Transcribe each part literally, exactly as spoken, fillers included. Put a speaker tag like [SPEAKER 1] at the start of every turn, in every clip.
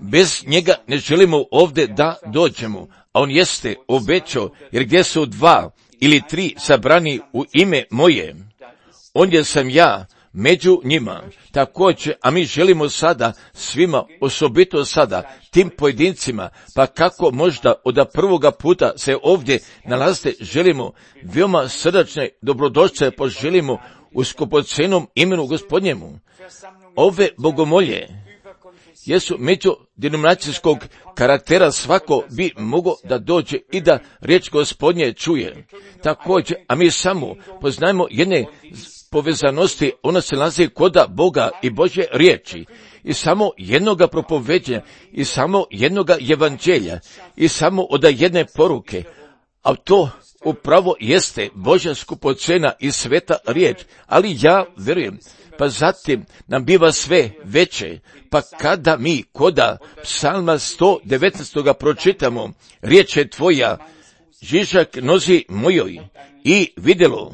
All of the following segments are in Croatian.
[SPEAKER 1] Bez njega ne želimo ovdje da dođemo, a on jeste obećao, jer gdje su dva ili tri sabrani u ime moje, ondje sam ja među njima. Također, a mi želimo sada svima, osobito sada, tim pojedincima, pa kako možda od prvoga puta se ovdje nalazite, želimo veoma srdačne dobrodošće poželimo u skupocenom imenu Gospodnjemu. Ove bogomolje jesu međudenominacijskog karaktera, svako bi mogao da dođe i da riječ Gospodnje čuje. Također, a mi samo poznajemo jedne povezanosti, ona se nalazi kod Boga i Božje riječi, i samo jednoga propoveđenja, i samo jednoga evanđelja, i samo od jedne poruke, a to upravo jeste Božja skupocena i sveta riječ, ali ja vjerujem, pa zatim nam biva sve veće, pa kada mi koda psalma sto devetnaest pročitamo, riječ je tvoja, žižak nozi mojoj i vidjelo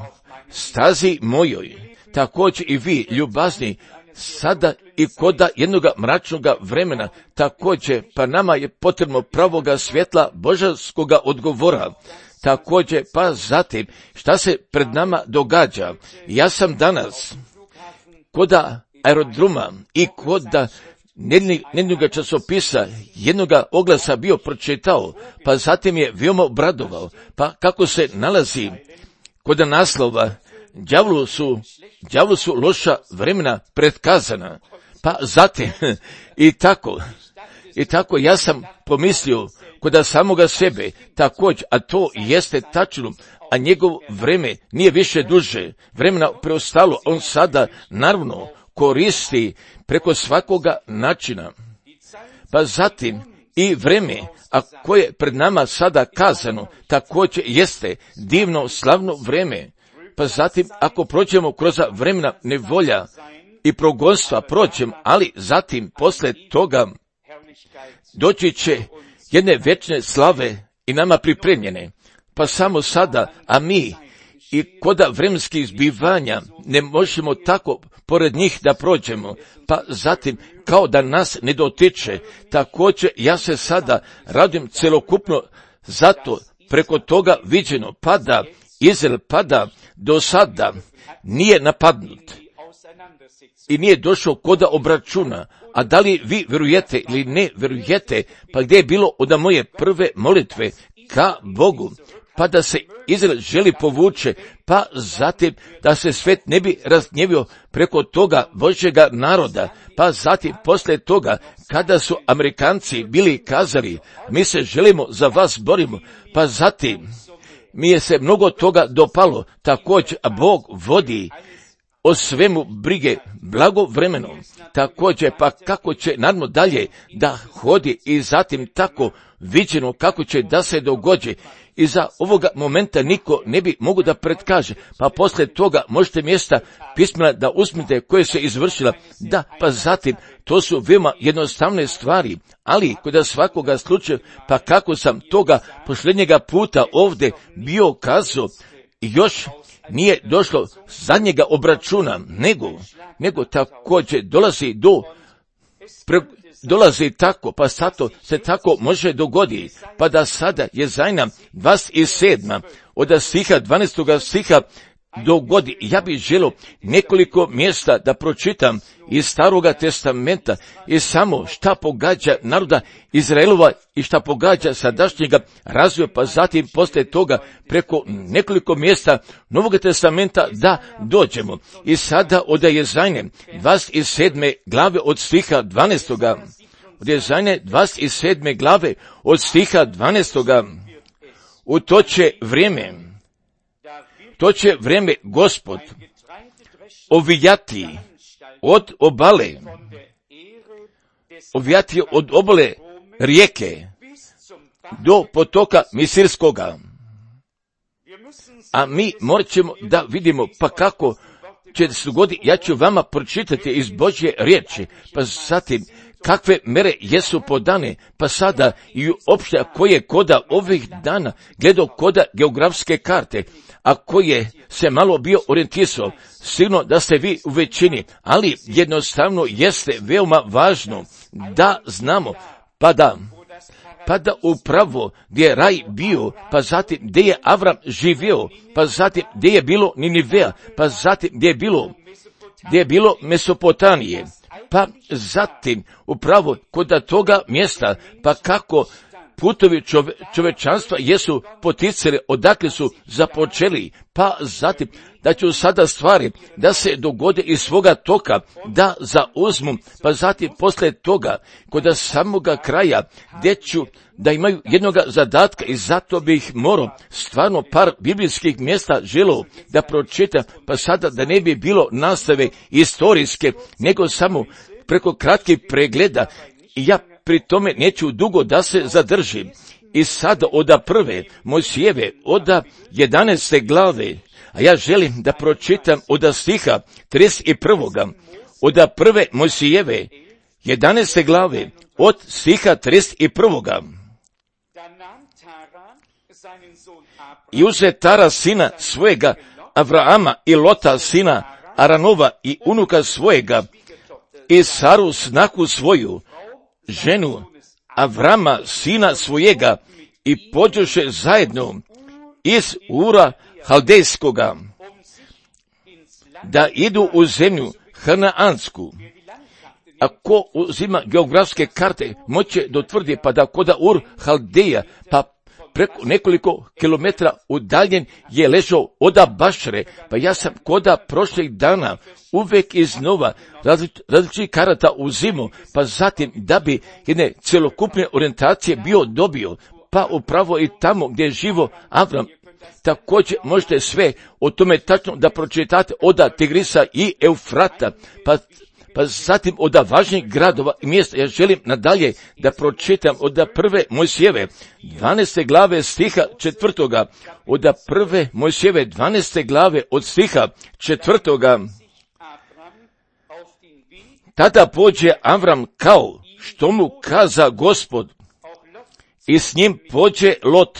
[SPEAKER 1] stazi mojoj, također i vi, ljubazni, sada i koda jednoga mračnoga vremena, također, pa nama je potrebno pravoga svjetla božanskoga odgovora. Također, pa zatim, šta se pred nama događa? Ja sam danas koda aerodroma i koda jednoga časopisa, jednoga oglasa bio pročitao, pa zatim je veoma obradovao, pa kako se nalazi koda naslova, đavlu su, đavlu su loša vremena pretkazana, pa zatim, i tako, i tako ja sam pomislio koda samoga sebe, također, a to jeste tačno, a njegov vreme nije više duže, vremena preostalo, on sada naravno koristi preko svakoga načina. Pa zatim i vreme, a koje pred nama sada kazano, također jeste divno, slavno vreme. Pa zatim, ako prođemo kroz vremena nevolja i progonstva, prođem, ali zatim, posle toga, doći će jedne večne slave i nama pripremljene. Pa samo sada, a mi i koda vremenskih zbivanja ne možemo tako pored njih da prođemo, pa zatim kao da nas ne dotiče. Također ja se sada radim celokupno zato preko toga viđeno, pa da Izrael pada do sada nije napadnut i nije došao koda obračuna. A da li vi vjerujete ili ne vjerujete, pa gdje je bilo od moje prve molitve ka Bogu, pa da se Izrael želi povuče, pa zatim da se svet ne bi razgnjevio preko toga Božjega naroda, pa zatim posle toga kada su Amerikanci bili kazali, mi se želimo za vas borimo, pa zatim mi je se mnogo toga dopalo, također Bog vodi o svemu brige blagovremenom, također pa kako će naravno dalje da hodi i zatim tako viđeno kako će da se dogođe. I za ovoga momenta niko ne bi mogu da predkaže, pa poslije toga možete mjesta pismena da uzmite koje se izvršila, da, pa zatim to su veoma jednostavne stvari, ali kod svakoga slučaja, pa kako sam toga posljednjega puta ovdje bio kazao, još nije došlo zadnjega obračuna, nego, nego također dolazi do, pre, dolazi tako, pa sato se tako može dogoditi, pa da sada je zajna dvadeset sedam od stiha dvanaestog stiha dogodi. Ja bih želio nekoliko mjesta da pročitam iz Staroga testamenta i samo šta pogađa naroda Izraelova i šta pogađa sadašnjega razvoja, pa zatim poslije toga preko nekoliko mjesta Novog testamenta da dođemo. I sada od Jezajne dvadeset sedme glave od stiha dvanaestoga od Jezajne dvadeset sedme glave od stiha dvanaestoga u to će vrijeme To će vrijeme Gospod ovijati od obale, ovijati od obale rijeke do potoka Misirskoga. A mi morat ćemo da vidimo pa kako će se dogoditi. Ja ću vama pročitati iz Božje riječi, pa zatim kakve mere jesu podane, pa sada i uopšte ako je koda ovih dana gledao koda geografske karte, a koje se malo bio orijentisao, sigurno da ste vi u većini, ali jednostavno jeste veoma važno da znamo, pa da, pa da upravo gdje je raj bio, pa zatim gdje je Avram živio, pa zatim gdje je bilo Ninivea, pa zatim gdje je bilo, gdje je bilo Mesopotamije, pa zatim upravo kod toga mjesta, pa kako putovi čove, čovečanstva jesu poticali, odakle su započeli, pa zatim da ću sada stvari da se dogode iz svoga toka, da zauzmu, pa zatim posle toga, kod samoga kraja, gdje ću da imaju jednoga zadatka i zato bih morao stvarno par biblijskih mjesta želio da pročitam, pa sada da ne bi bilo nastave istorijske, nego samo preko kratkih pregleda i ja pri tome neću dugo da se zadržim. I sada oda prve Mojsijeve, oda jedanaeste glave, a ja želim da pročitam oda stiha trideset prvoga, oda prve Mojsijeve, jedanaeste glave, od stiha trideset prvoga. I uze Tara sina svojega Avrama i Lota sina Aranova i unuka svojega i Saru snaku svoju, ženu Avrama sina svojega i pođoše zajedno iz Ura Haldejskoga da idu u zemlju Hanaansku. Ako uzima geografske karte, moće dotvrdi pa da koda Ur Haldeja, pa preko nekoliko kilometra udaljen je ležao oda Bašre, pa ja sam koda prošlih dana uvek iznova različitih karata uzimu, pa zatim da bi jedne celokupne orijentacije bio dobio, pa upravo i tamo gdje je živo Avram. Također možete sve o tome tačno da pročitate oda Tigrisa i Eufrata, pa pa zatim od važnijih gradova i mjesta. Ja želim nadalje da pročitam od prve Mojsijeve, dvanaeste glave stiha četvrtoga, od prve Mojsijeve, dvanaeste glave od stiha četvrtoga. Tada pođe Avram kao što mu kaza Gospod i s njim pođe Lot,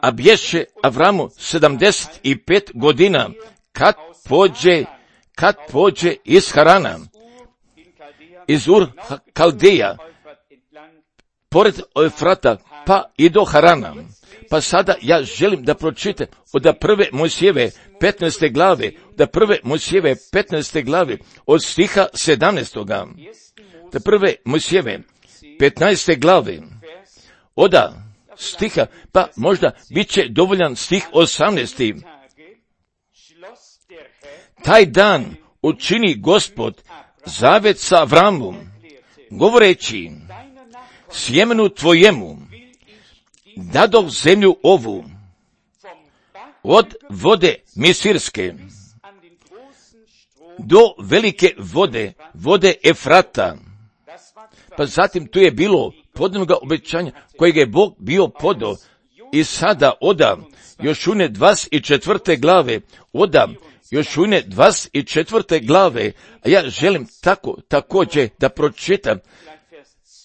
[SPEAKER 1] a bješe Avramu sedamdeset pet godina kad pođe kad pođe iz Harana, iz Ur Kaldeja, pored Eufrata, pa i do Harana. Pa sada ja želim da pročitam od prve Mojsijeve petnaeste glave, da prve Mojsijeve petnaeste glave, od stiha sedamnaestoga. Da prve Mojsijeve petnaeste glave, od stiha, pa možda bit će dovoljan stih osamnaesti. Taj dan učini Gospod zavet sa Avramom, govoreći, sjemenu tvojemu dadoh zemlju ovu, od vode Misirske do velike vode, vode Efrata. Pa zatim tu je bilo podanoga obećanja kojeg je Bog bio podao i sada oda Jošune dvadeset četvrte glave, oda Jošune dvadeset četvrte glave, a ja želim tako također da pročitam,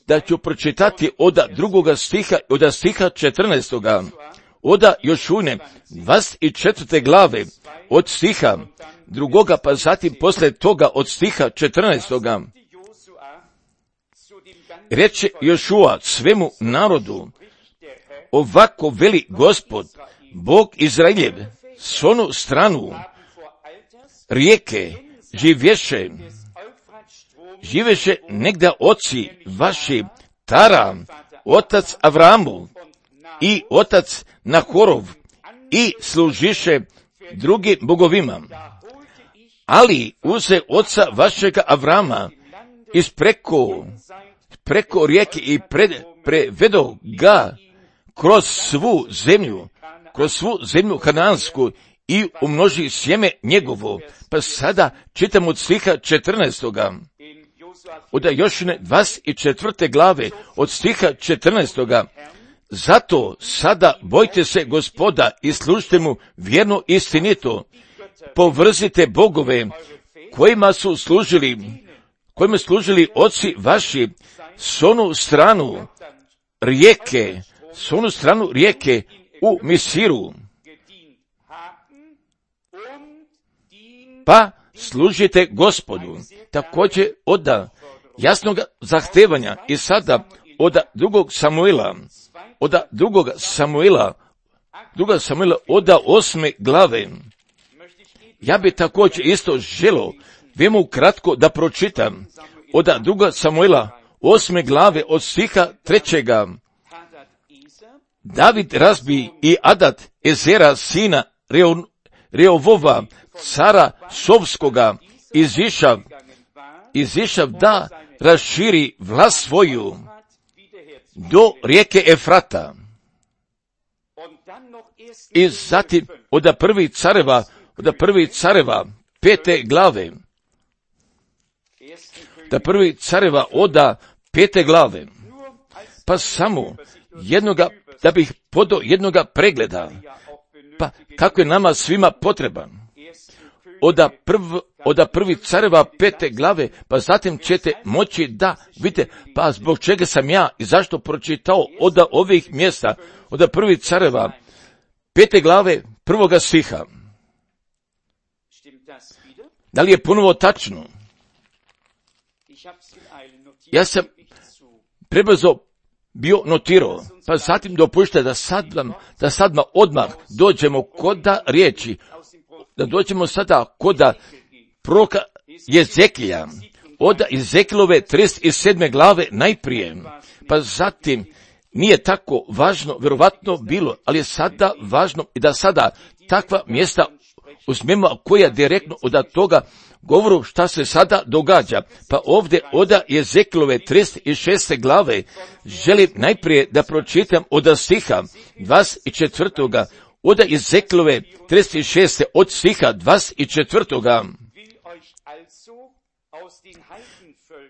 [SPEAKER 1] da ću pročitati od drugoga stiha, od stiha četrnaestoga. Oda Jošune dvadeset četvrte glave, od stiha drugoga, pa zatim posle toga od stiha četrnaestoga. Reče Jošua svemu narodu, ovako veli Gospod, Bog Izraeljev, s onu stranu rijeke živješe, živeše negda oci vaši, Tara, otac Avramu i otac Nahorov, i služiše drugim bogovima. Ali uze oca vašega Avrama iz preko, preko rijeke i pred, prevedo ga kroz svu zemlju, kroz svu zemlju Hanansku i umnoži sjeme njegovo. Pa sada čitam od stiha četrnaestoga. Od Jošine dvadeset četvrte glave, od stiha četrnaestoga. Zato sada bojte se Gospoda i služite mu vjerno istinito. Povrzite bogove kojima su služili, kojima služili oci vaši, s onu stranu rijeke, s onu stranu rijeke u Misiru. Pa služite Gospodu. Također od jasnog zahtevanja i sada od drugog Samuila, od drugog Samuila, druga Samuila od osme glave. Ja bi također isto želo vemu kratko da pročitam od druga Samuila osme glave od stiha trećega. David razbi i Adat Ezera sina Reo, Reovova, cara Sovskoga, izišav, izišav da raširi vlast svoju do rijeke Efrata. I zatim od prvi careva, od prvi careva pete glave, da prvi careva oda pete glave, pa samo jednoga, da bih podao jednoga pregleda, pa kako je nama svima potreban. Oda, prv, oda prvi careva pete glave, pa zatim ćete moći da vidite, pa zbog čega sam ja i zašto pročitao oda ovih mjesta, oda prvi careva pete glave prvoga stiha. Da li je ponovo tačno? Ja sam prebrzo bio notirao, pa zatim dopušta da sad vam, da sad vam odmah dođemo koda riječi, da dođemo sada koda proroka Jezekija, od Jezekilove trideset sedme glave najprije, pa zatim nije tako važno, vjerovatno bilo, ali je sada važno i da sada takva mjesta uzmemo koja direktno od toga govoru šta se sada događa. Pa ovdje od Jezekilove trideset šeste glave želim najprije da pročitam od stiha dvadeset četvrtoga od Jezekilove trideset šeste od stiha dvadeset četvrtoga.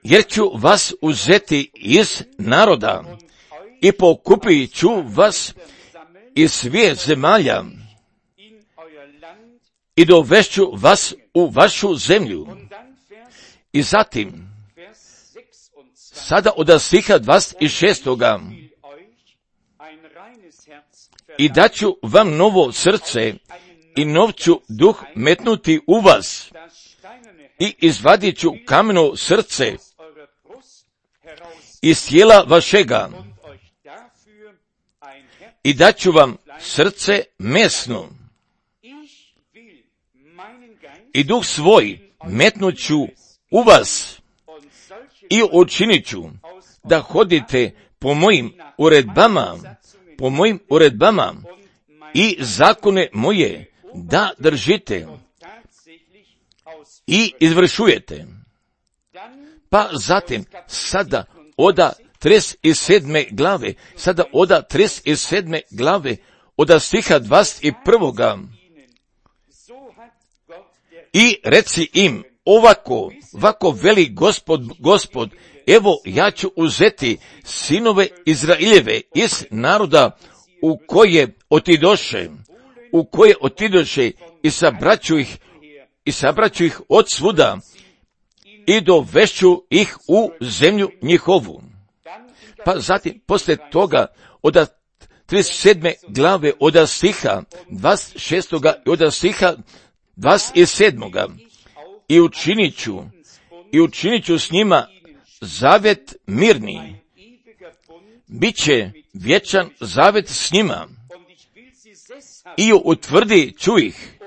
[SPEAKER 1] Jer ću vas uzeti iz naroda i pokupit ću vas iz svih zemalja i dovešću vas u vašu zemlju. I zatim, sada od stiha dvadeset šestoga. I daću vam novo srce i nov ću duh metnuti u vas i izvadit ću kameno srce iz tijela vašega i daću vam srce mesno i duh svoj metnut ću u vas i učinit ću da hodite po mojim uredbama, po mojim uredbama i zakone moje da držite i izvršujete. Pa zatim sada oda trideset sedme glave, sada oda trideset sedme glave, oda stiha dvadeset prvoga. I reci im, ovako, ovako veli gospod, gospod, evo ja ću uzeti sinove Izraeljeve iz naroda u koje otidoše, u koje otidoše i sabraću ih, i sabraću ih od svuda i dovešću ih u zemlju njihovu. Pa zatim, poslije toga, od trideset sedme glave, od stiha dvadeset šestoga i od stiha dvadeset sedmoga. I učinit ću, i učinit ću s njima zavjet mirni. Biće vječan zavjet s njima. I utvrdi ću ih,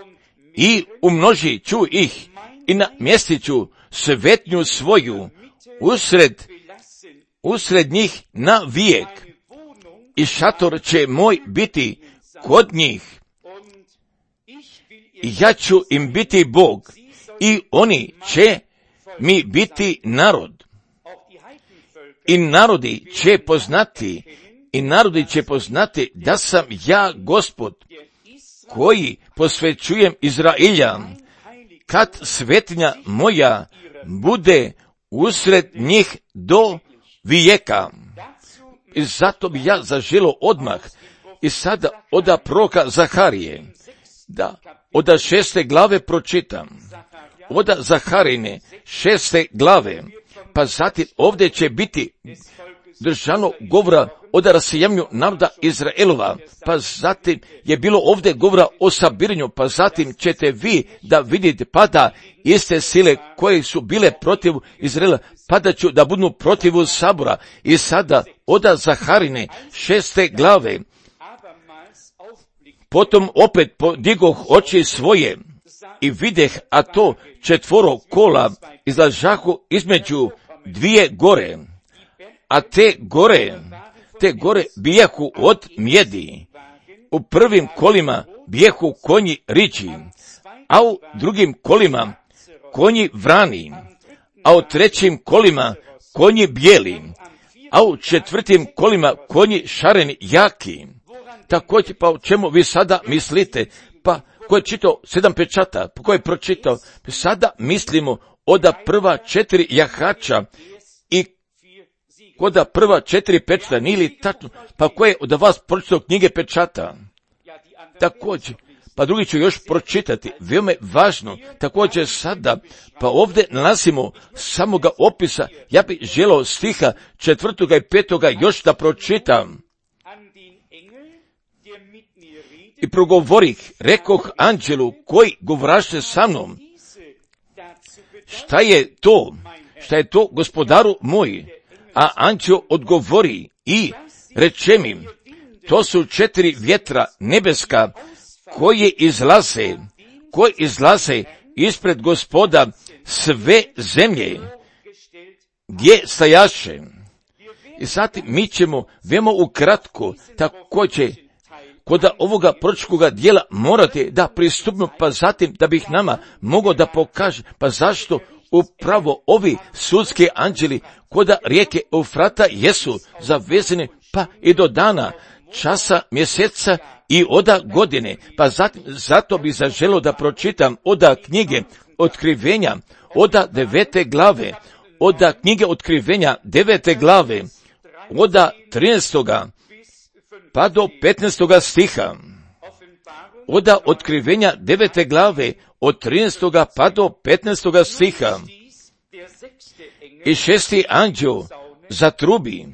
[SPEAKER 1] i umnožit ću ih, i namjestit ću svetnju svoju usred, usred njih na vijek. I šator će moj biti kod njih. I ja ću im biti Bog, i oni će mi biti narod. I narodi će poznati, i narodi će poznati da sam ja Gospod, koji posvećujem Izraelja, kad svetinja moja bude usred njih do vijeka. I zato bi ja zaželo odmah, i sada oda proroka Zaharije, da oda šeste glave pročitam. Oda Zaharine šeste glave, pa zatim ovdje će biti držano govora o rasejanju naroda Izraelova, pa zatim je bilo ovdje govora o sabiranju, pa zatim ćete vi da vidite pada iste sile koje su bile protiv Izraela, pada ću da budu protiv sabora. I sada oda Zaharine šeste glave, potom opet podigoh oči svoje i videh, a to četvoro kola izlažahu između dvije gore, a te gore, te gore bijahu od mjedi. U prvim kolima bijahu konji riđi, a u drugim kolima konji vrani, a u trećim kolima konji bijeli, a u četvrtim kolima konji šareni jaki. Također, pa o čemu vi sada mislite? Pa ko je čitao sedam pečata, pa ko je pročitao? Sada mislimo oda prva četiri jahača i koda prva četiri pečata, nije li tačno? Pa ko je od vas pročitao knjige pečata? Također, pa drugi ću još pročitati, veoma je važno, također sada, pa ovdje nalazimo samoga opisa, ja bih želeo stiha četvrtoga i petoga još da pročitam. I progovorih, rekoh anđelu koji govraše sa mnom, šta je to, šta je to gospodaru moj? A anđel odgovori i reče mi, to su četiri vjetra nebeska koje izlaze, koje izlaze ispred gospoda sve zemlje, gdje stajaše. I zatim mi ćemo veoma ukratko također kod ovoga proročkoga dijela morate da pristupimo, pa zatim da bih nama mogao da pokaže, pa zašto upravo ovi sudski anđeli kod rijeke Eufrata jesu zavezani, pa i do dana, časa, mjeseca i oda godine. Pa zatim, zato bih zaželio da pročitam oda knjige Otkrivenja, oda devete glave, oda knjige Otkrivenja devete glave, oda trinaestoga pa do petnaestoga stiha, oda Otkrivenja devete glave, od trinaestoga pa do petnaestoga stiha. I šesti anđeo zatrubi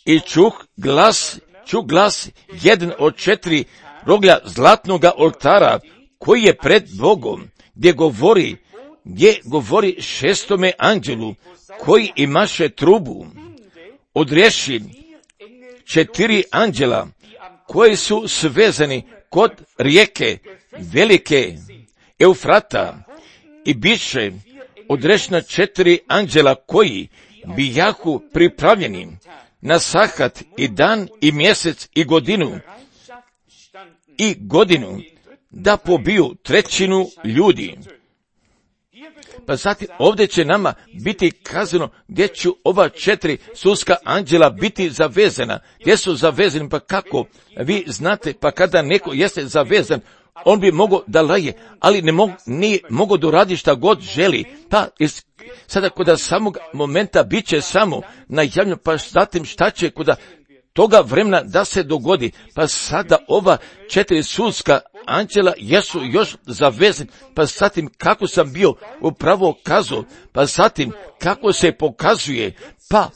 [SPEAKER 1] i čuh glas, čuh glas jedan od četiri roglja zlatnoga oltara koji je pred Bogom, gdje govori, gdje govori šestome anđelu koji imaše trubu, odreši četiri anđela koji su svezani kod rijeke velike Eufrata i biše odrešena četiri anđela koji bijahu pripravljeni na sahat i dan i mjesec i godinu i godinu da pobiju trećinu ljudi. Pa zatim ovdje će nama biti kazano gdje će ova četiri sudska anđela biti zavezana. Gdje su zavezani, pa kako? Vi znate, pa kada neko jeste zavezan, on bi mogao da laje, ali ne mogu, nije mogao da uradi šta god želi. Pa iz, sada kod samog momenta bit će samo najavljeno, pa zatim šta će kod toga vremena da se dogodi. Pa sada ova četiri sudska anđela jesu još zavezani, pa zatim kako sam bio upravo kazao, pa zatim kako se pokazuje, pa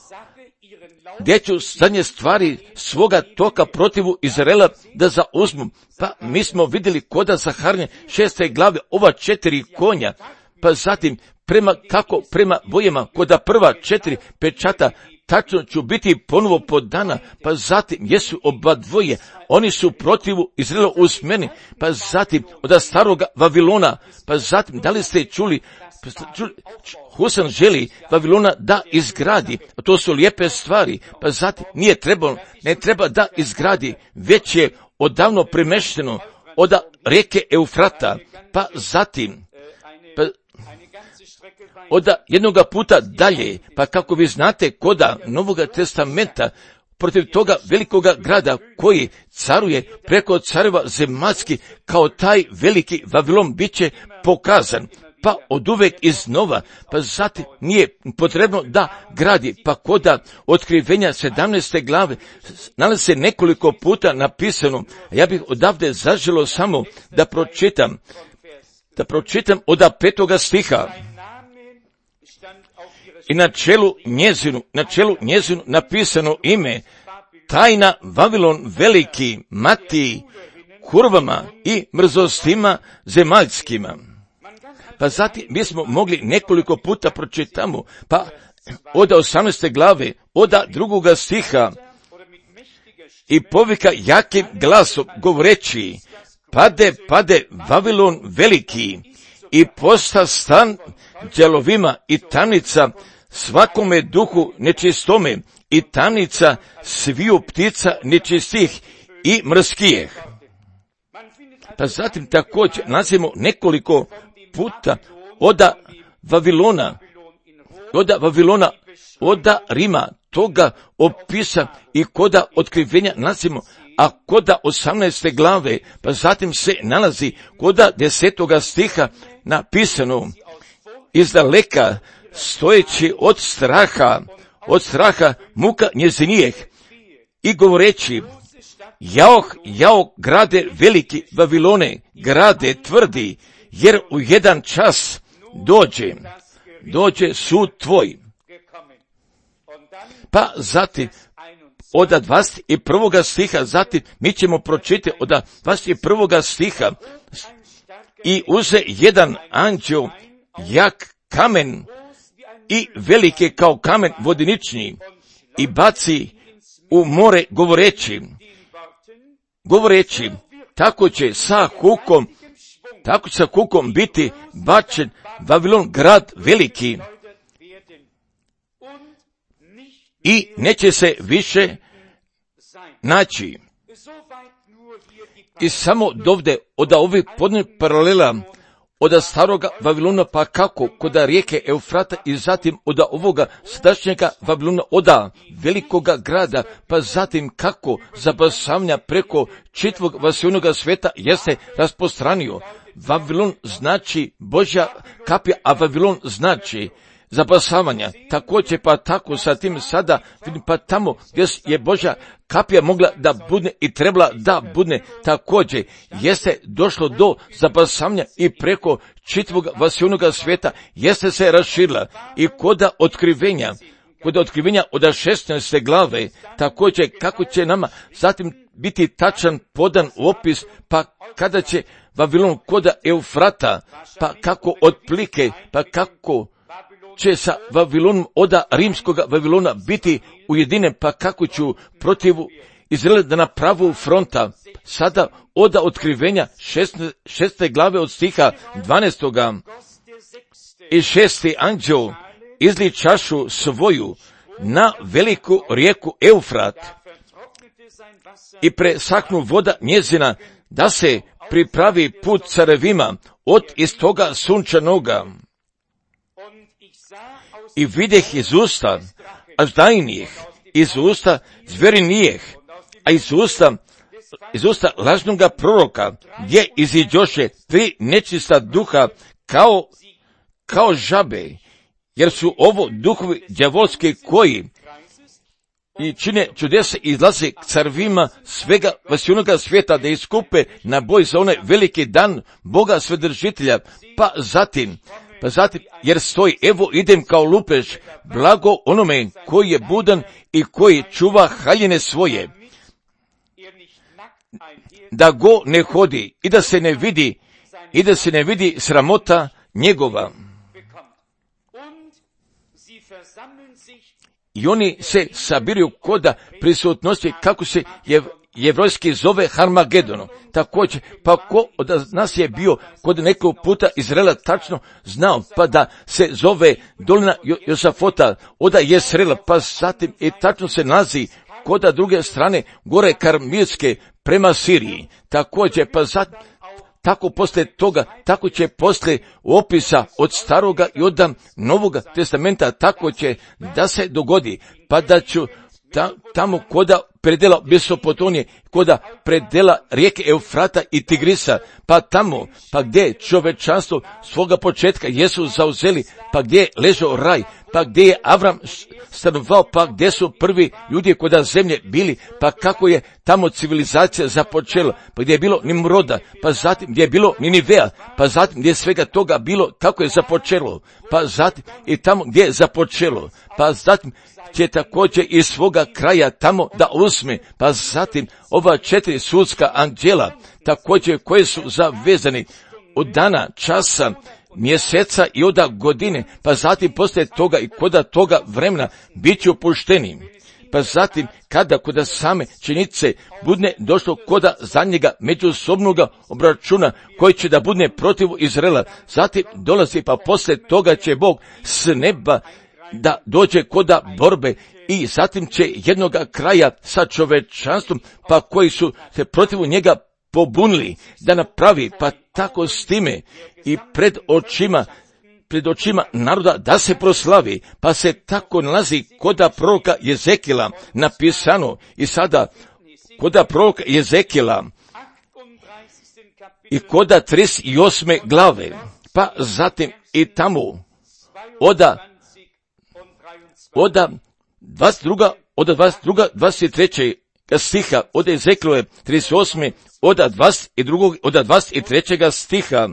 [SPEAKER 1] gdje ću zadnje stvari svoga toka protivu Izraela da zauzmu. Pa mi smo vidjeli koda Zaharine šeste glave ova četiri konja, pa zatim prema kako prema bojama koda prva četiri pečata tačno ću biti ponovo podana, pa zatim jesu oba dvoje, oni su protivu Izraela usmeni, pa zatim od staroga Vavilona, pa zatim da li ste čuli, čuli Husan želi Vavilona da izgradi, a to su lijepe stvari, pa zatim nije trebalo, ne treba da izgradi, već je odavno premešteno od rijeke Eufrata, pa zatim, pa od jednoga puta dalje, pa kako vi znate koda Novoga testamenta, protiv toga velikoga grada koji caruje preko careva zemaljski kao taj veliki Vavilon bit će pokazan, pa od uvek iznova, pa zatim nije potrebno da gradi, pa koda Otkrivenja sedamnaeste glave nalazi se nekoliko puta napisano. Ja bih odavde zaželio samo da pročitam, da pročitam od petoga stiha. i na čelu njezinu, na čelu njezinu napisano ime, tajna Vavilon veliki, mati, kurvama i mrzostima zemaljskima. Pa zatim mi smo mogli nekoliko puta pročitamo, pa od osamnaeste glave, od drugoga stiha, i povika jakim glasom govoreći, pade, pade Vavilon veliki i posta stan đelovima i tamnica svakome duhu nečistome i tamnica sviju ptica nečistih i mrskijeh. Pa zatim također nazivamo nekoliko puta oda Vavilona, oda Vavilona, oda Rima, toga opisa i koda otkrivenja nazivamo, a koda osamnaeste glave, pa zatim se nalazi koda desetoga stiha napisano, izdaleka stojeći od straha, od straha muka njezinijeh i govoreći, jaoh, jaoh, grade veliki Vavilone, grade tvrdi, jer u jedan čas dođe, dođe sud tvoj. Pa zatim, od dvadeset prvoga stiha, zatim mi ćemo pročitati od dvadeset prvoga stiha, i uze jedan anđeo, jak kamen i velike kao kamen vodenični, i baci u more govoreći, govoreći, tako će sa hukom, tako će sa hukom biti bačen Vavilon grad veliki i neće se više naći. I samo dovde od ovih podnih paralela od staroga Vavilona, pa kako kod rijeke Eufrata, i zatim od ovoga sadašnjega Vavilona, od velikoga grada, pa zatim kako zabasavanja preko čitavog vasilnoga sveta jeste raspostranio. Vavilon znači Božja kapija, a Vavilon znači zabasavanja. Također pa tako sa tim sada, pa tamo gdje je Božja kapija mogla da budne i trebala da budne, također jeste došlo do zabasavanja i preko čitavog vasilnoga sveta jeste se raširila. I koda otkrivenja, kod otkrivenja od šesnaeste glave, također kako će nama zatim biti tačan podan opis, pa kada će Vavilon koda Eufrata, pa kako otplike, pa kako će sa Vavilonom oda rimskoga Vavilona biti ujedinjen, pa kako ću protiv Izraela na pravu fronta. Sada oda otkrivenja šeste glave od stiha dvanaestoga i šesti anđeo izli čašu svoju na veliku rijeku Eufrat i presahnu voda njezina, da se pripravi put carevima od istoga sunčanoga. I videh iz usta aždajnijih, iz usta zverinijeh, a iz usta, iz usta lažnoga proroka, gdje iziđoše tri nečista duha kao, kao žabe, jer su ovo duhovi đavolski koji i čine čudesa i izlaze k carvima svega vasilnoga svijeta da iskupe na boj za onaj veliki dan Boga Svedržitelja, pa zatim, pa zatim, jer stoji, evo idem kao lupež, blago onome koji je budan i koji čuva haljine svoje, da go ne hodi i da se ne vidi, i da se ne vidi sramota njegova. I oni se sabiruju koda prisutnosti, kako se je jevrojski zove Harmagedono. Također, pa ko od nas je bio kod nekog puta Izraela tačno znao, pa da se zove dolina Josafota, oda Jesrela, pa zatim i tačno se nalazi koda druge strane gore Karmilske prema Siriji. Također, pa zatim, tako poslije toga, tako će poslije opisa od staroga i od novoga testamenta, tako će da se dogodi, pa da ću ta, tamo koda predela Mesopotamije, koda predela rijeke Eufrata i Tigrisa, pa tamo, pa gdje čovečanstvo svoga početka jesu zauzeli, pa gdje je ležao raj, pa gdje je Avram stanovao, pa gdje su prvi ljudi kod zemlje bili, pa kako je tamo civilizacija započela, pa gdje je bilo Nimroda, pa zatim gdje je bilo Ninivea, pa zatim gdje je svega toga bilo, kako je započelo, pa zatim i tamo gdje je započelo, pa zatim će također iz svoga kraja tamo da uzme, pa zatim ova četiri sudska anđela, također koje su zavezani od dana, časa, mjeseca i od godine, pa zatim poslije toga i koda toga vremena bit će opušteni. Pa zatim kada koda same činjenice budne došlo koda za njega međusobnoga obračuna koji će da budne protiv Izraela, zatim dolazi pa poslije toga će Bog s neba da dođe koda borbe i zatim će jednoga kraja sa čovečanstvom, pa koji su se protiv njega pobunili da napravi, pa tako s time i pred očima, pred očima naroda da se proslavi, pa se tako nalazi koda proroka Jezekila napisano i sada koda proroka Jezekila i koda trideset osme glave, pa zatim i tamo oda oda dvadeset druga, oda dvadeset druga, dvadeset treće stiha, od Ezekilove trideset osme, od dvadeset drugog, od dvadeset trećeg stiha.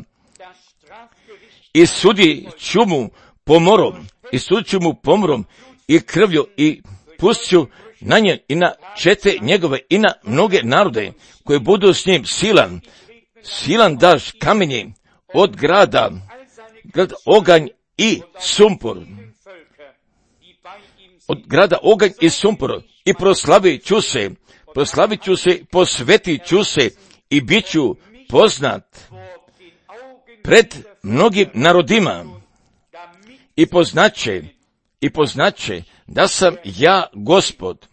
[SPEAKER 1] I sudi ću mu pomorom, i sudit ću mu pomorom i krvlju i pustit ću na nje i na čete njegove i na mnoge narode koje budu s njim silan, silan daš kamenje od grada, grad oganj i sumpor. Od grada oganj i sumpor i proslavit ću se, proslavit ću se, posvetit ću se i bit ću poznat pred mnogim narodima i poznaće, i poznaće da sam ja Gospod.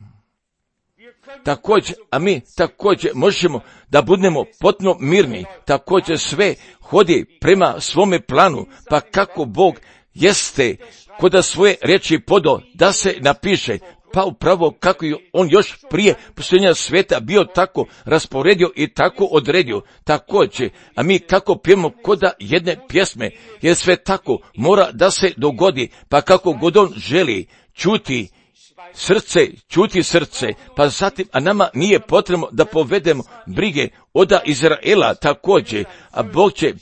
[SPEAKER 1] Također, a mi također možemo da budemo potpuno mirni, također sve hodi prema svome planu, pa kako Bog jeste koda svoje riječi podo da se napiše, pa upravo kako je on još prije posljednja sveta bio tako rasporedio i tako odredio, također, a mi kako pijemo koda jedne pjesme, jer sve tako mora da se dogodi, pa kako god on želi, čuti srce, čuti srce, pa zatim, a nama nije potrebno da povedemo brige oda Izraela također, a Bog će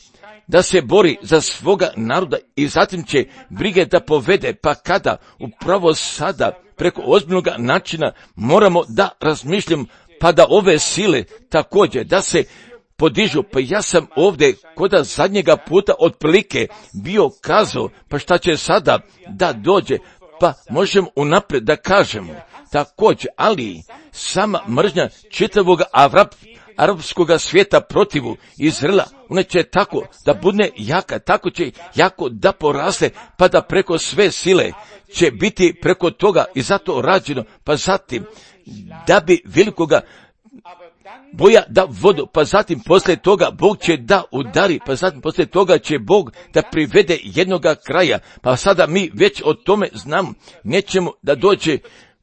[SPEAKER 1] da se bori za svoga naroda i zatim će brige da povede, pa kada upravo sada preko ozbiljnog načina moramo da razmišljamo, pa da ove sile također da se podižu, pa ja sam ovdje koda zadnjega puta otprilike bio kazao, pa šta će sada da dođe, pa možemo unaprijed da kažemo također, ali sama mržnja čitavog Arab, arapskog svijeta protivu Izraela, ona će tako da budne jaka, tako će jako da poraste, pa da preko sve sile će biti preko toga i zato rađeno, pa zatim da bi velikoga boja da vodu, pa zatim poslije toga Bog će da udari, pa zatim poslije toga će Bog da privede jednoga kraja, pa sada mi već o tome znamo, nećemo da dođe,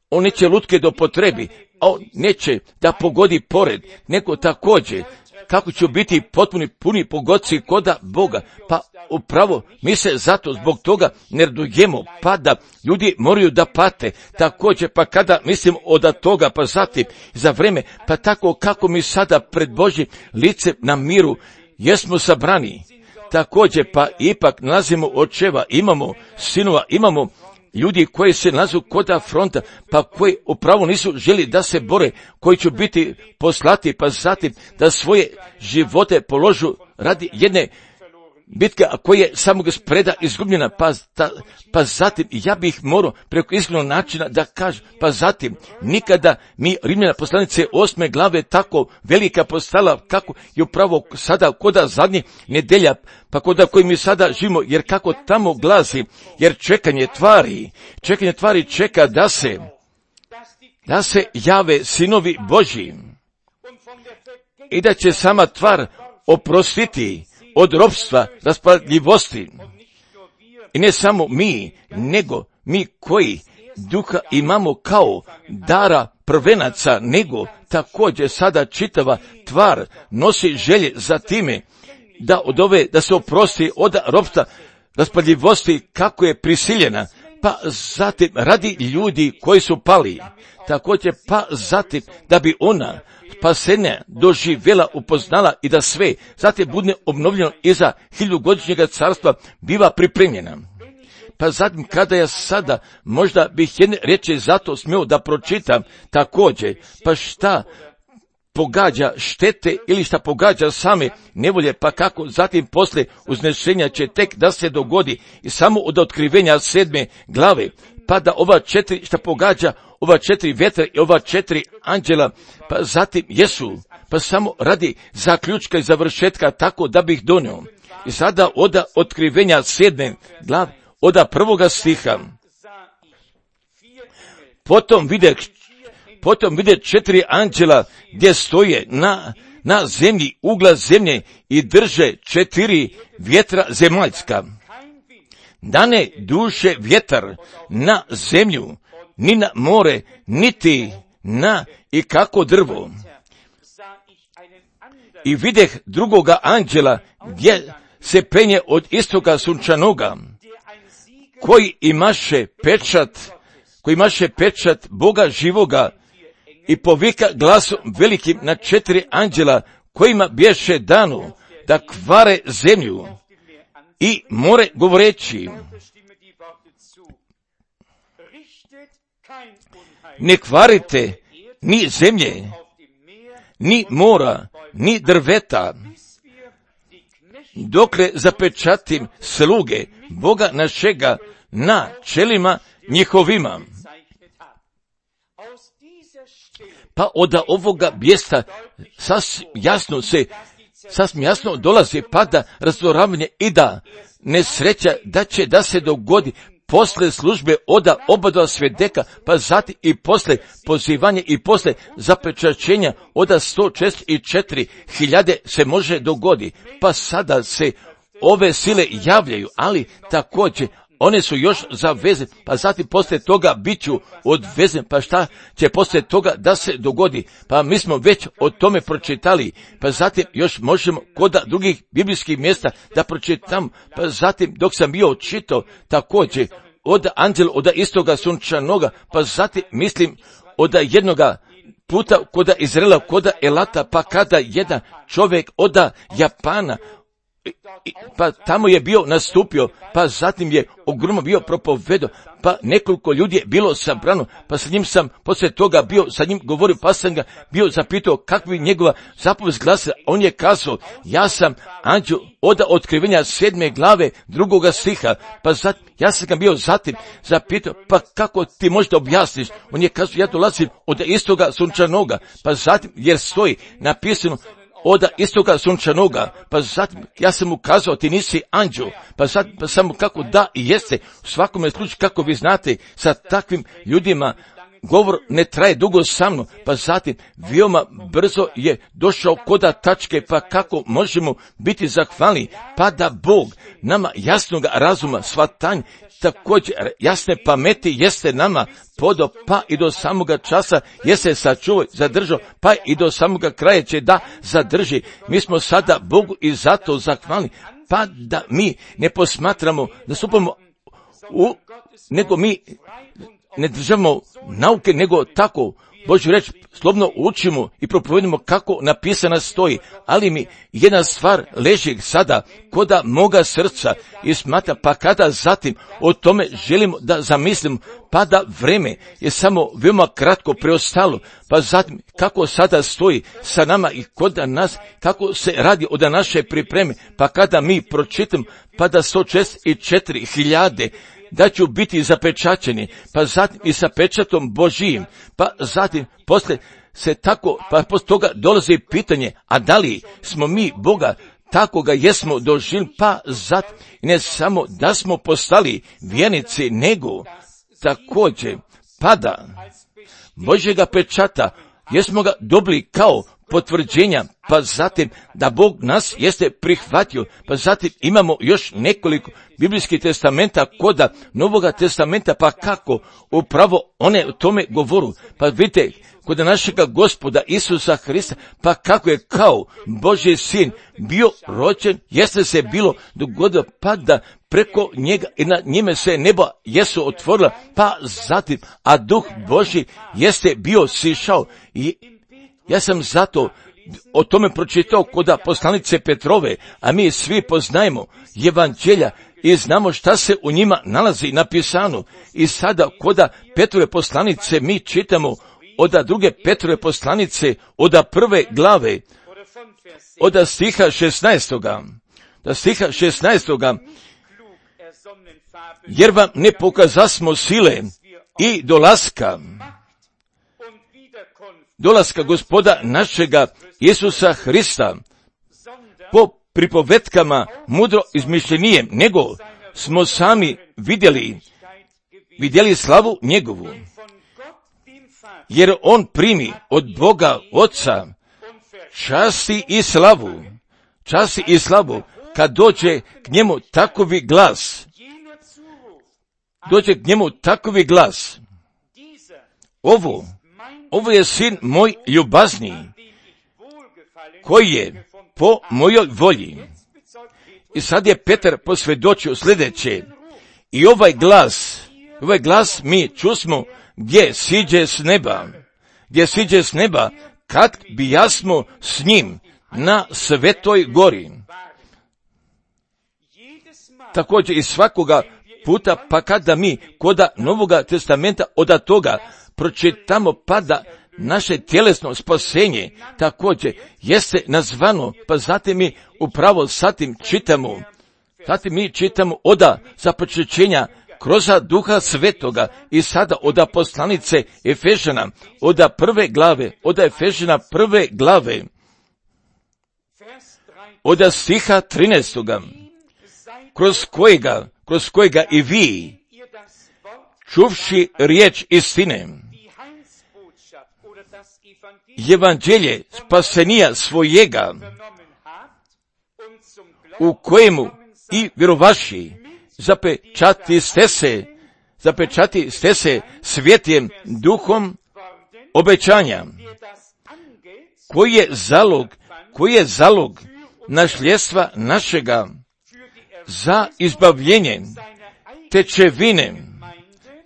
[SPEAKER 1] on neće lutke do potrebi, a on neće da pogodi pored, nego također, kako će biti potpuni puni pogodci koda Boga, pa upravo mi se zato zbog toga ne radujemo, pa da ljudi moraju da pate, također, pa kada mislim od toga, pa zatim za vreme, pa tako kako mi sada pred Božjim licem na miru jesmo sabrani, također, pa ipak nalazimo očeva, imamo sinova, imamo ljudi koji se nalazu koda fronta, pa koji upravo nisu želi da se bore, koji će biti poslati, pa zatim da svoje živote položu radi jedne bitke, a koja je samog spreda izgubljena, pa, ta, pa zatim ja bih morao preko izglednog načina da kažem, pa zatim nikada mi Rimljana poslanice osme glave tako velika postala, kako je upravo sada koda zadnji nedelja, pa koda koji mi sada živimo, jer kako tamo glasi, jer čekanje tvari, čekanje tvari čeka da se, da se jave sinovi Božji i da će sama tvar oprostiti od ropstva, raspadljivosti. I ne samo mi, nego mi koji duha imamo kao dara prvenaca, nego također sada čitava tvar nosi želje za time da od ove, da se oprosti od ropstva, raspadljivosti kako je prisiljena, pa zatim radi ljudi koji su pali, također pa zatim da bi ona spasenja doživjela, upoznala i da sve zatim bude obnovljeno iza hiljugodišnjega carstva biva pripremljena. Pa zatim kada ja sada možda bih jedne riječi zato smio da pročitam također, pa šta pogađa štete ili šta pogađa same nevolje, pa kako zatim poslije uznešenja će tek da se dogodi i samo od otkrivenja sedme glave, pa da ova četiri šta pogađa, ova četiri vjetra i ova četiri anđela, pa zatim jesu, pa samo radi zaključka i završetka tako da bih donio. I sada od otkrivenja sedme glave, od prvoga stiha, potom vide Potom vide četiri anđela gdje stoje na, na zemlji, ugla zemlje i drže četiri vjetra zemaljska. Da ne duše vjetar na zemlju, ni na more, niti na i kako drvo. I videh drugoga anđela gdje se penje od istoga sunčanoga, koji imaše pečat, koji imaše pečat Boga živoga, i povika glasom velikim na četiri anđela kojima bješe dano da kvare zemlju i more govoreći: ne kvarite ni zemlje, ni mora, ni drveta, dokle zapečatim sluge Boga našega na čelima njihovima. Pa od ovoga mjesta sasvim jasno se, sasvim jasno dolazi pada razoravanje i da nesreća da će da se dogodi posle službe oda oba svedeka, pa zatim i posle pozivanja i posle zapečaćenja oda sto četrdeset četiri hiljade se može dogodi. Pa sada se ove sile javljaju, ali također one su još zavezene, pa zatim poslije toga bit ću odvezen, pa šta će poslije toga da se dogodi? Pa mi smo već o tome pročitali, pa zatim još možemo kod drugih biblijskih mjesta da pročitam, pa zatim dok sam bio čitao također od anđela, od istoga sunčanoga, pa zatim mislim od jednoga puta kod Izraela, kod Elata, pa kada jedan čovjek od Japana, pa tamo je bio nastupio, pa zatim je ogromno bio propovedao, pa nekoliko ljudi je bilo sabrano, pa sa njim sam poslije toga bio, sa njim govorio, pa sam ga bio zapitao kakva je njegova zapovest glasa. On je kazao: ja sam anđel od otkrivenja sedme glave drugoga stiha. Pa zatim, ja sam ga bio zatim zapitao, pa kako ti možda objasniš? On je kazao: ja dolazim od istoga sunčanoga, pa zatim jer stoji napisano od istoga sunčanoga, pa zatim ja sam mu kazao: ti nisi anđel, pa zatim pa samo kako da i jeste. U svakome slučaju, kako vi znate, sa takvim ljudima govor ne traje dugo sa mnom, pa zatim veoma brzo je došao koda tačke, pa kako možemo biti zahvalni, pa da Bog nama jasnog razuma, shvatanja, također jasne pameti jeste nama podo, pa i do samoga časa jeste sačuvao, zadržao, pa i do samoga kraja će da zadrži. Mi smo sada Bogu i zato zahvalni, pa da mi ne posmatramo, da stupamo u, nego mi ne držamo nauke, nego tako Božju reč slobno učimo i propovedimo kako napisana stoji, ali mi jedna stvar leži sada koda moga srca i smatra, pa kada zatim o tome želimo da zamislimo, pa da vreme je samo veoma kratko preostalo, pa zatim kako sada stoji sa nama i kod nas, kako se radi od naše pripreme, pa kada mi pročitam, pa da sto četrdeset četiri hiljade da ću biti zapečaćeni, pa zatim i sa pečatom Božijim, pa zatim posle se tako, pa posle toga dolazi pitanje, a da li smo mi Boga tako ga jesmo doživjeli, pa zatim ne samo da smo postali vjernici, nego također pada Božjega pečata, jesmo ga dobili kao potvrđenja, pa zatim da Bog nas jeste prihvatio, pa zatim imamo još nekoliko biblijskih testamenta koda Novoga testamenta, pa kako upravo one o tome govoru. Pa vidite, kod našega Gospoda Isusa Hrista, pa kako je kao Božji sin bio rođen, jeste se bilo dogodilo, pa da preko njega i na njime se neba jesu otvorila, pa zatim, a Duh Božji jeste bio sišao. I ja sam zato o tome pročitao koda poslanice Petrove, a mi svi poznajemo evanđelja i znamo šta se u njima nalazi napisano. I sada koda Petrove poslanice mi čitamo oda druge Petrove poslanice, oda prve glave, oda stiha šesnaestoga, da stiha šesnaestoga, jer vam ne pokazasmo sile i dolaska, dolaska Gospoda našega Isusa Hrista po pripovetkama mudro izmišljenijem, nego smo sami vidjeli, vidjeli slavu njegovu, jer on primi od Boga Oca časti i slavu, časti i slavu, kad dođe k njemu takovi glas, dođe k njemu takovi glas, ovo, ovo je sin moj ljubazniji, koji je po mojoj volji. I sad je Petar posvjedočio sljedeće, i ovaj glas, ovaj glas mi čusmo gdje siđe s neba, gdje siđe s neba, kad bi jasmo s njim na svetoj gori. Također i svakoga puta, pa kada mi koda Novoga testamenta od toga pročitamo, pa da naše tjelesno spasenje također jeste nazvano, pa zatim mi upravo satim čitamo, zatim mi čitamo oda započećenja kroz Duha Svetoga i sada oda poslanice Efežana, oda prve glave, oda Efežana prve glave, oda stiha trinaestoga, kroz kojega, kroz kojega i vi, čuvši riječ istine, evanđelje spasenija svojega, u kojemu i vjerovaši, zapečati ste se, zapečati ste se svjetlim duhom obećanja, koji je zalog, koji je zalog nasljedstva našega za izbavljenje tečevine,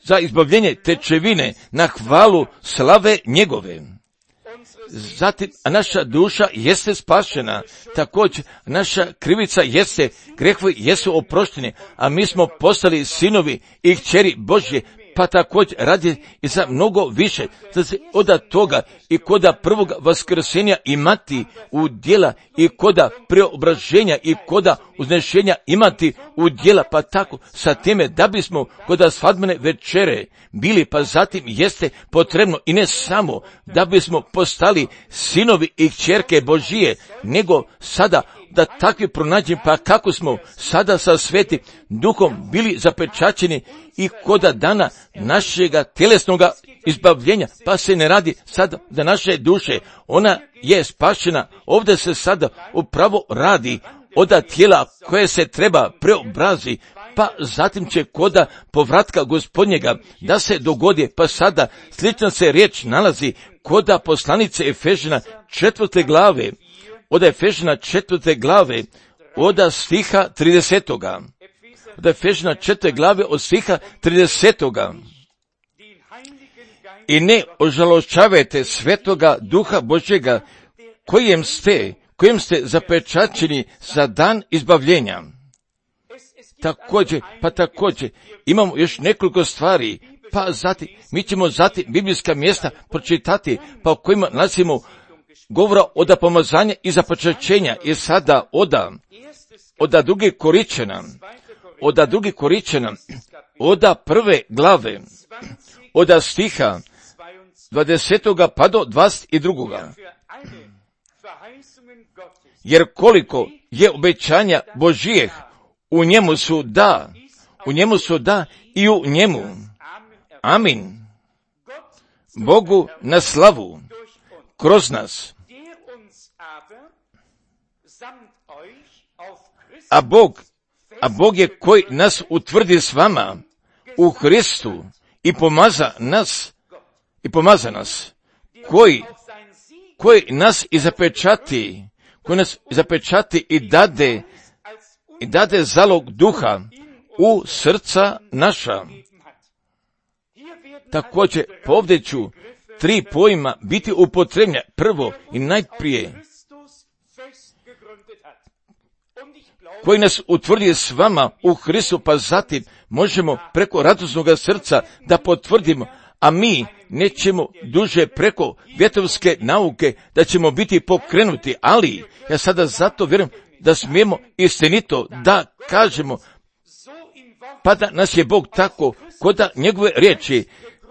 [SPEAKER 1] za izbavljenje tečevine na hvalu slave njegove. Zatim, a naša duša jeste spašena, također naša krivica jeste, grehovi jesu oprošteni, a mi smo postali sinovi i kćeri Božje, pa također radi i za mnogo više, da se od toga i koda prvog vaskrsenja imati u djela i koda preobraženja i koda uznešenja imati u djela, pa tako sa time da bismo koda svadbene večere bili, pa zatim jeste potrebno i ne samo da bismo postali sinovi i kćerke Božije, nego sada da takvi pronađem, pa kako smo sada sa Svetim Duhom bili zapečaćeni i koda dana našega tjelesnoga izbavljenja, pa se ne radi sada da naše duše, ona je spašena, ovdje se sada upravo radi oda tijela koje se treba preobrazi, pa zatim će koda povratka Gospodnjega da se dogodi, pa sada slična se riječ nalazi koda poslanice Efežana četvrte glave, od Efežana četvrte glave, od stiha tridesetoga. Od Efežana četvrte glave, od stiha tridesetoga. I ne ožalošćavajte svetoga Duha Božjega, kojem ste, kojem ste zapečaćeni za dan izbavljenja. Također, pa također, imamo još nekoliko stvari, pa zatim, mi ćemo zatim biblijska mjesta pročitati, pa u kojima nalazimo govora oda pomazanja i započećenja, i sada oda, oda druge Koričana, oda druge Koričana, oda prve glave, oda stiha dvadesetoga pa do dvadeset drugoga. Jer koliko je obećanja Božijeh, u njemu su da, u njemu su da i u njemu. Amin. Bogu na slavu, kroz nas, A Bog, a Bog je koji nas utvrdi s vama u Hristu i pomaza nas, i pomaza nas, koji, koji nas i zapečati, koji nas zapečati i dade, i dade zalog duha u srca naša. Također, povdje ću tri pojma biti upotrebljena. Prvo i najprije, koji nas utvrdi s vama u Hristu, pa zatim možemo preko radosnog srca da potvrdimo, a mi nećemo duže preko vjetrovske nauke da ćemo biti pokrenuti, ali ja sada zato vjerujem da smijemo istinito da kažemo, pa da nas je Bog tako, kod da njegove riječi,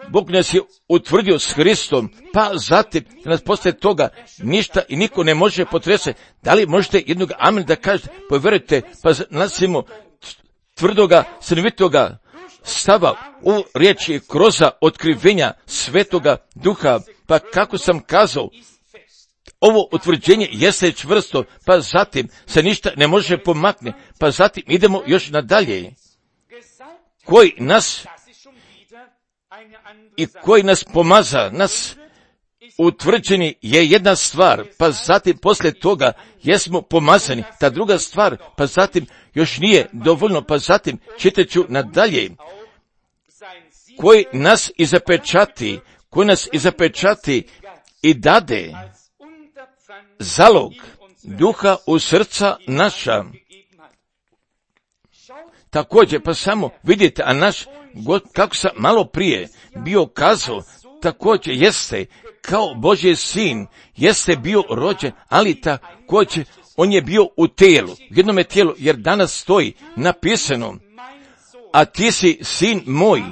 [SPEAKER 1] Bog nas je utvrdio s Hristom, pa zatim nas poslije toga ništa i niko ne može potrese. Da li možete jednog amen da kažete, povjerujte, pa nalazimo tvrdoga, stanovitoga stava u riječi kroz otkrivenja Svetoga Duha, pa kako sam kazao, ovo utvrđenje jeste čvrsto, pa zatim se ništa ne može pomakne, pa zatim idemo još nadalje. Koji nas i koji nas pomaza, nas utvrđeni je jedna stvar, pa zatim poslije toga jesmo pomazani, ta druga stvar, pa zatim još nije dovoljno, pa zatim čitaću nadalje. Koji nas i zapečati, koji nas i zapečati i dade zalog duha u srca naša. Također, pa samo vidite, a naš, kako sam malo prije bio kazao, također jeste kao Božji sin, jeste bio rođen, ali također on je bio u tijelu, u jednome tijelu, jer danas stoji napisano, a ti si sin moj,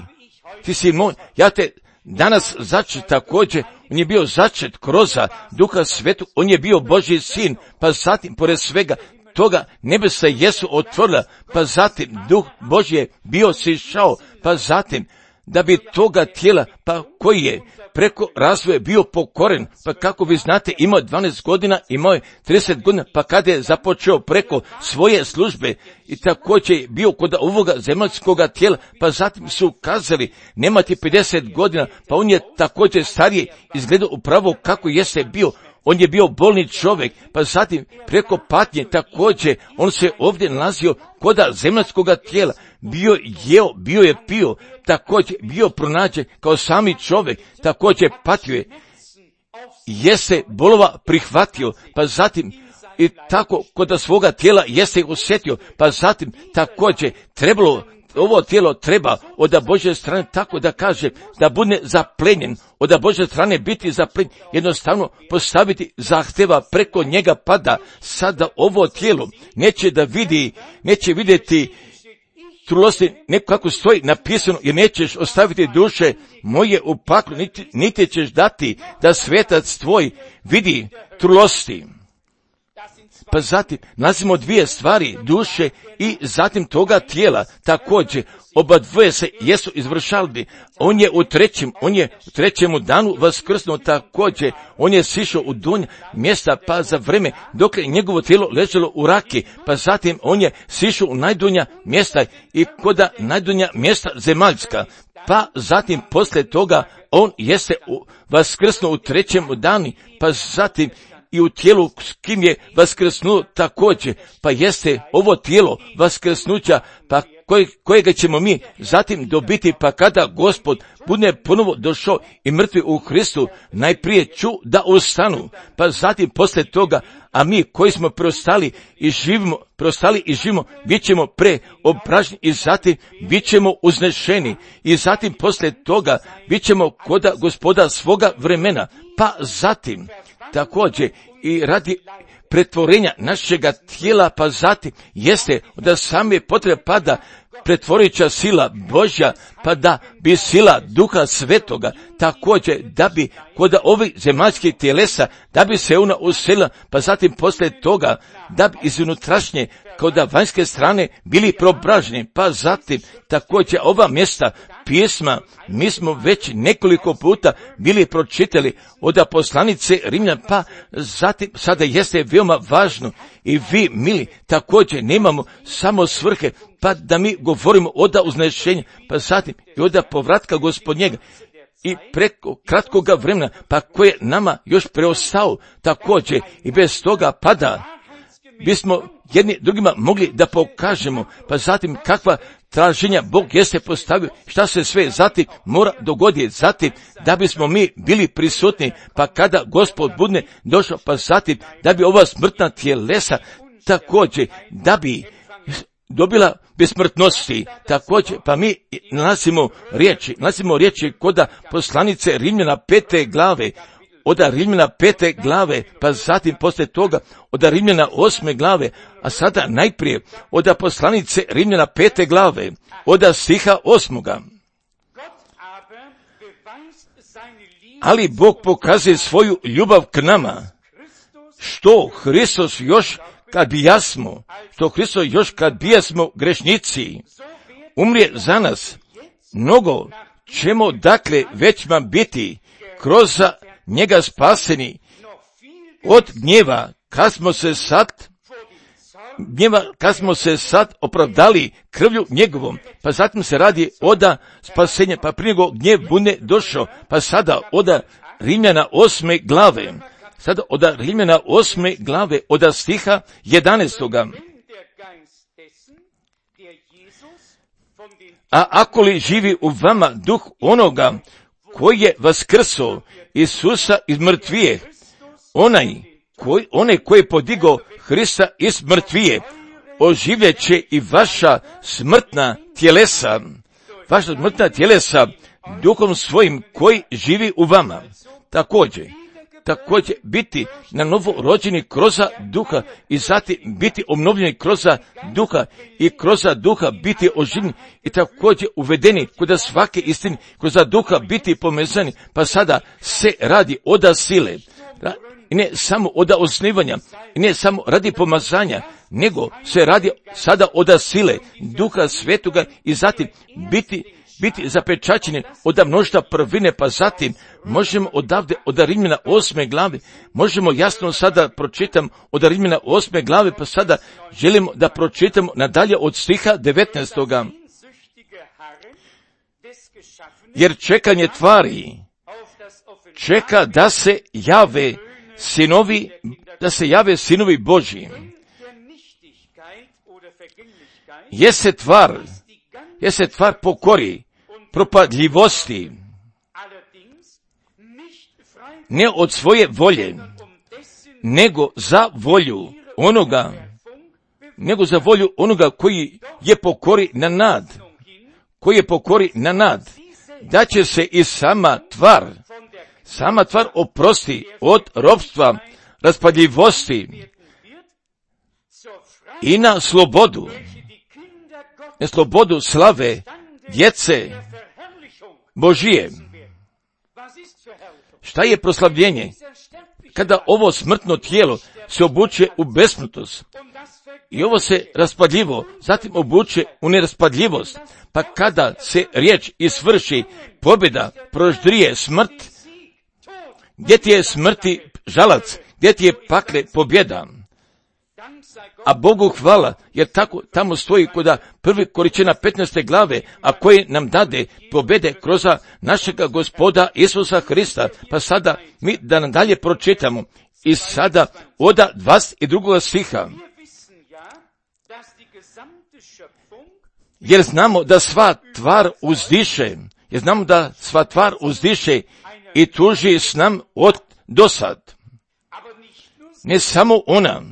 [SPEAKER 1] ti si moj, ja te danas začet također, on je bio začet kroz Duha Svetog, on je bio Božji sin, pa zatim, pored svega toga, nebesa jesu otvorila, pa zatim Duh Božji je bio sišao, pa zatim, da bi toga tijela, pa koji je preko razvoja bio pokoren, pa kako vi znate, imao dvanaest godina, imao je trideset godina, pa kada je započeo preko svoje službe i također je bio kod ovoga zemaljskoga tijela, pa zatim su kazali, nema ti pedeset godina, pa on je također stariji izgledao upravo kako jeste bio. On je bio bolni čovjek, pa zatim preko patnje također, on se ovdje nalazio kod zemaljskoga tijela, bio jeo, bio je pio, također bio pronađen kao sami čovjek, također patio je, jeste bolova prihvatio, pa zatim i tako kod svoga tijela jeste osjetio, pa zatim također trebalo, ovo tijelo treba od Božje strane tako da kaže da bude zaplenjen, od Božje strane biti zaplenjen, jednostavno postaviti zahtjeva preko njega pada. Sada ovo tijelo neće da vidi, neće vidjeti trulosti, neko kako stoji napisano, jer nećeš ostaviti duše moje u paklu, niti, niti ćeš dati da svetac tvoj vidi trulosti. Pa zatim nalazimo dvije stvari, duše i zatim toga tijela. Također, oba dvoje se jesu izvršali. On je u trećem, on je u trećemu danu vaskrsnuo, također, on je sišao u donja mjesta, pa za vreme dok je njegovo tijelo ležalo u raki, pa zatim on je sišao u najdonja mjesta i koda najdonja mjesta zemaljska. Pa zatim poslije toga on jeste vaskrsnuo u trećem danu, pa zatim i u tijelu s kim je vaskrsnuo također, pa jeste ovo tijelo vaskrsnuća, pa koje, kojega ćemo mi zatim dobiti, pa kada Gospod bude ponovo došao i mrtvi u Hristu, najprije ću da ustanu, pa zatim poslije toga, a mi koji smo preostali i živimo, preostali i živimo, bit ćemo preobraženi i zatim bit ćemo uznešeni i zatim poslije toga bit ćemo koda Gospoda svoga vremena, pa zatim također i radi pretvorenja našega tijela, pa zatim jeste da same potrebe pada pretvoreća sila Božja, pa da bi sila Duha Svetoga također, da bi kod ovih zemaljskih tjelesa, da bi se ona uselila, pa zatim poslije toga, da bi iz unutrašnje, kod vanjske strane bili probraženi, pa zatim također ova mjesta pisma, mi smo već nekoliko puta bili pročitali od poslanice Rimljana, pa zatim sada jeste veoma važno i vi, mili, također nemamo samo svrhe, pa da mi govorimo oda uznešenja, pa zatim i oda povratka Gospodnjega i preko kratkoga vremena, pa koje nama još preostao također i bez toga pada, bismo jedni drugima mogli da pokažemo, pa zatim kakva traženja Bog jeste postavio, šta se sve zatim mora dogoditi, zatim da bismo mi bili prisutni, pa kada Gospod bude došao, pa zatim da bi ova smrtna tjelesa također, da bi dobila besmrtnosti, također, pa mi nalazimo riječi, nalazimo riječi kod poslanice Rimljana pete glave, od Rimljana pete glave, pa zatim poslije toga od Rimljana osme glave, a sada najprije od poslanice Rimljana pete glave, od stiha osmoga. Ali Bog pokazuje svoju ljubav k nama, što Hristos još kad bijasmo, što Hristos još kad bijasmo grešnici, umrije za nas, mnogo ćemo dakle većma biti kroz njega spaseni od gnjeva, kad smo se sad gnjeva, kad smo se sad opravdali krvlju njegovom, pa zatim se radi oda spasenja, pa prije nego gnjev bude došao, pa sada oda Rimljana osme glave, sada oda Rimljana osme glave, oda stiha jedanaestoga. A ako li živi u vama duh onoga koji je vaskrso Isusa iz mrtvije, onaj koji, onaj koji je podigao Hrista iz mrtvije, oživljet će i vaša smrtna tjelesa, vaša smrtna tjelesa duhom svojim koji živi u vama. Također, također biti na novo rođeni kroz duha i zatim biti obnovljeni kroz duha i kroz duha biti oživljeni i također uvedeni kod svake istine, kroz duha biti pomezani, pa sada se radi oda sile. I ne samo oda osnivanja, i ne samo radi pomazanja, nego se radi sada oda sile Duha Svetoga i zatim biti biti zapečaćeni od mnoštva prvine, pa zatim možemo odavde od Rimljana osme glave, možemo jasno sada pročitam od Rimljana osme glave, pa sada želimo da pročitamo nadalje od stiha devetnaestoga. Jer čekanje tvari čeka da se jave sinovi, da se jave sinovi Božji. Jeste tvar, jeste tvar pokori, propadljivosti, ne od svoje volje, nego za volju onoga, nego za volju onoga koji je pokori na nad, koji je pokori na nad, da će se i sama tvar, sama tvar oprosti od ropstva, raspadljivosti i na slobodu, na slobodu slave djece Božije. Šta je proslavljenje? Kada ovo smrtno tijelo se obuče u besmrtnost i ovo se raspadljivo, zatim obuče u neraspadljivost, pa kada se riječ isvrši, pobjeda proždrije smrt, gdje ti je smrti žalac, gdje ti je pakle pobjeda. A Bogu hvala, jer tako tamo stoji kod prvi Korinćana petnaeste glave, a koji nam dade pobjede kroz našega Gospoda Isusa Hrista. Pa sada mi da nadalje pročitamo i sada oda dvadeset drugog stiha. Jer znamo da sva tvar uzdiše, jer znamo da sva tvar uzdiše i tuži s nam od dosad. Ne samo ona,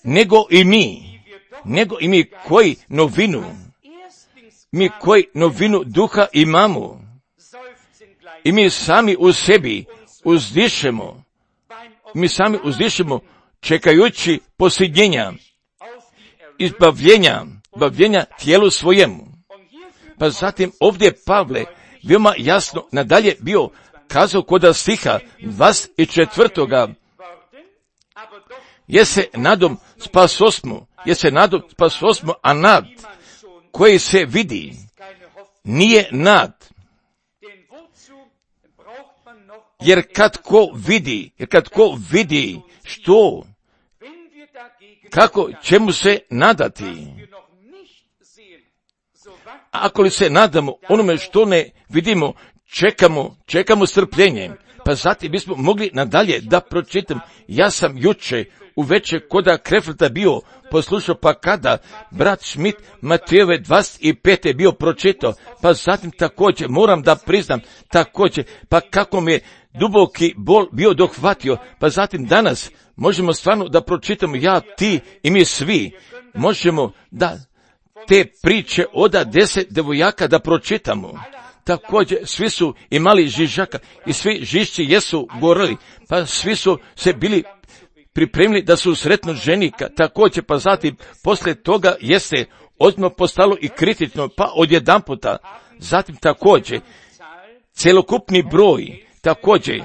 [SPEAKER 1] nego i mi, nego i mi koji novinu, mi koji novinu duha imamo, i mi sami u sebi uzdišemo, mi sami uzdišemo čekajući posljednjenja, izbavljenja, izbavljenja tijelu svojemu. Pa zatim ovdje Pavle veoma jasno nadalje bio kazao kod stiha dvadeset četvrtoga je se nadom spasosmo, je se nadom spasosmo, a nad koji se vidi nije nad. Jer kad ko vidi, jer kad ko vidi što, kako će mu se nadati? Ako li se nadamo onome što ne vidimo, čekamo, čekamo strpljenjem. Pa zatim bismo mogli nadalje da pročitam. Ja sam juče uveče koda Kreflta bio poslušao, pa kada brat Schmidt Matejove dvadeset pete bio pročitao, pa zatim također moram da priznam također, pa kako mi je duboki bol bio dohvatio, pa zatim danas možemo stvarno da pročitamo, ja, ti i mi svi, možemo da te priče oda deset devojaka da pročitamo. Također svi su imali žižaka i svi žišći jesu gorili, pa svi su se bili pripremili da su sretno ženika. Također pa zatim poslije toga jeste odmah postalo i kritično, pa odjedanputa. Zatim također celokupni broj također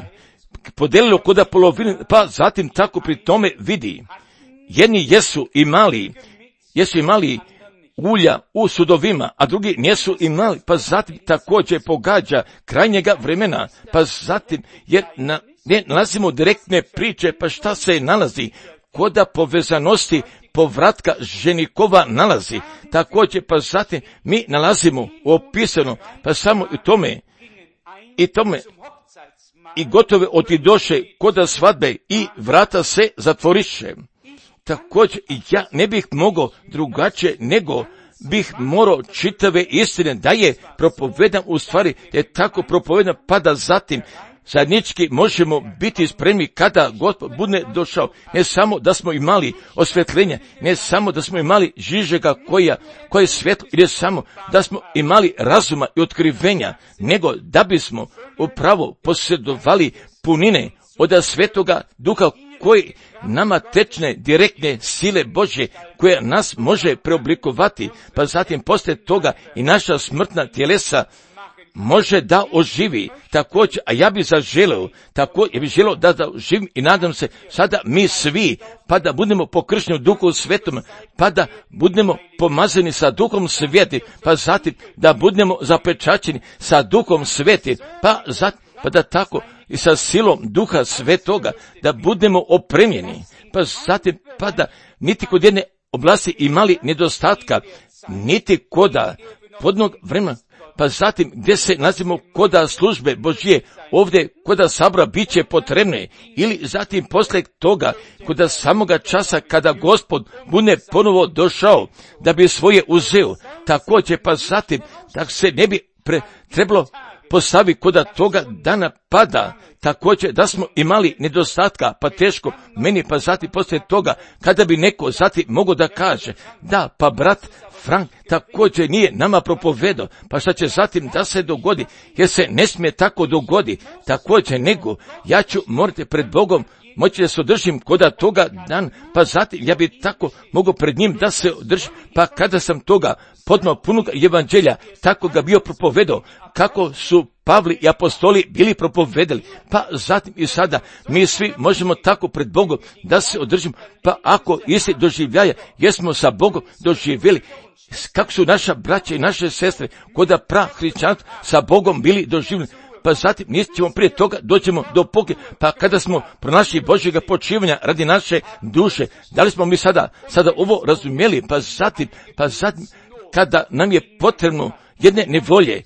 [SPEAKER 1] podelilo koda polovine, pa zatim tako pri tome vidi. Jedni jesu imali, jesu imali ulja u sudovima, a drugi nisu imali, pa zatim također pogađa krajnjega vremena, pa zatim jer na, ne nalazimo direktne priče, pa šta se nalazi? Koda povezanosti povratka ženikova nalazi. Također pa zatim mi nalazimo opisano, pa samo i tome, i tome, i gotove otidoše koda svadbe i vrata se zatvoriše. Također ja ne bih mogao drugačije nego bih morao čitave istine da je propovedan, u stvari je tako propovedan, pa da zatim zajednički možemo biti spremni kada Gospod bude došao. Ne samo da smo imali osvjetljenja, ne samo da smo imali žižega koja, koje je svjetlo, ili samo da smo imali razuma i otkrivenja, nego da bismo upravo posjedovali punine od Svetoga Duha koji nama tečne direktne sile Božje koja nas može preoblikovati, pa zatim poslije toga i naša smrtna tjelesa može da oživi. Također, a ja bih zaželeo, tako ja bih želeo da, da živim i nadam se sada mi svi, pa da budemo pokršteni u Duhu Svetom, pa da budemo pomazani sa Duhom Svetim, pa zatim da budemo zapečaćeni sa Duhom Svetim, pa zatim pa da tako i sa silom Duha Svetoga da budemo opremljeni, pa zatim pa da niti kod jedne oblasti imali nedostatka, niti koda podnog vremena, pa zatim gdje se nalazimo koda službe Božje, ovdje koda sabora bit će potrebne, ili zatim poslije toga koda samoga časa kada Gospod bude ponovo došao da bi svoje uzeo, također pa zatim da se ne bi pre, trebalo postavi koda toga dana pada, također da smo imali nedostatka, pa teško meni, pa zatim poslije toga kada bi neko zatim mogao da kaže, da, pa brat Frank također nije nama propovedao, pa šta će zatim da se dogodi, jer se ne smije tako dogodi, također nego ja ću morati pred Bogom moći da se održim koda toga dan, pa zatim ja bi tako mogao pred njim da se održim, pa kada sam toga podno punog evanđelja, tako ga bio propovedao, kako su Pavli i apostoli bili propovedali, pa zatim i sada mi svi možemo tako pred Bogom da se održimo, pa ako isti doživljaja jesmo sa Bogom doživjeli, kako su naša braća i naše sestre koda prahrišćanstva sa Bogom bili doživljeni, pa zatim nećemo prije toga doćemo do poke, pa kada smo pronašli Božjega počivanja radi naše duše, da li smo mi sada, sada ovo razumjeli, pa zatim, pa zatim kada nam je potrebno jedne nevolje,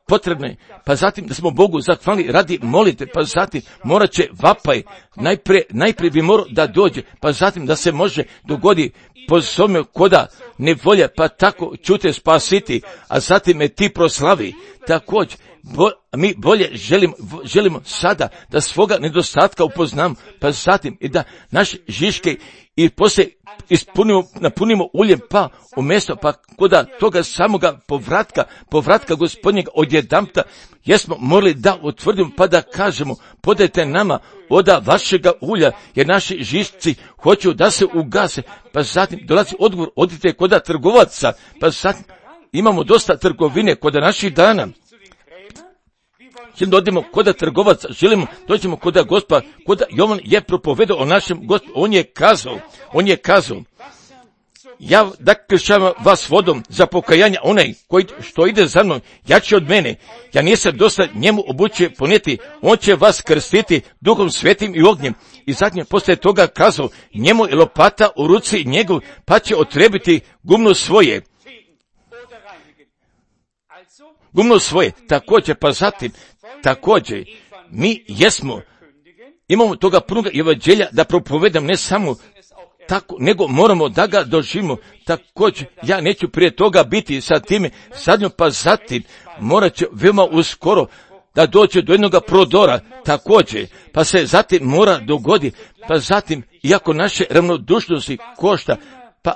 [SPEAKER 1] potrebne, pa zatim da smo Bogu zahvalni radi molite, pa zatim morat će vapaj, najprije, najprije bi morao da dođe, pa zatim da se može dogodi po svome koda nevolja, pa tako ću te spasiti, a zatim me ti proslavi. Također, bo, mi bolje želimo, želimo sada da svoga nedostatka upoznamo, pa zatim i da naše žiške i poslije ispunimo, napunimo uljem, pa umjesto, pa koda toga samoga povratka, povratka Gospodnjega odjedanputa, jesmo morali da utvrdimo, pa da kažemo, podajte nama oda vašega ulja, jer naši žišci hoću da se ugase, pa zatim dolazi odgovor, odite koda trgovaca, pa zatim imamo dosta trgovine kod naših dana. Želimo odimo kod trgovaca, želimo dođemo kod Gospa, kod Jovan je propovedao o našem Gospu, on je kazao, on je kazao, ja da kršćavam vas vodom za pokajanje, onaj koji što ide za mnom, jači od mene, ja nisam dosta njemu obuće ponijeti, on će vas krstiti Duhom Svetim i ognjem. I zadnje poslije toga kazao, njemu je lopata u ruci njegov, pa će otrebiti gumno svoje. Gumno svoje, također, pa zatim, također, mi jesmo, imamo toga punoga evanđelja da propovedam ne samo tako, nego moramo da ga doživimo. Također, ja neću prije toga biti sa time zadnjom, pa zatim morat će veoma uskoro da dođe do jednog prodora, također, pa se zatim mora dogodi, pa zatim, iako naše ravnodušnosti košta, pa,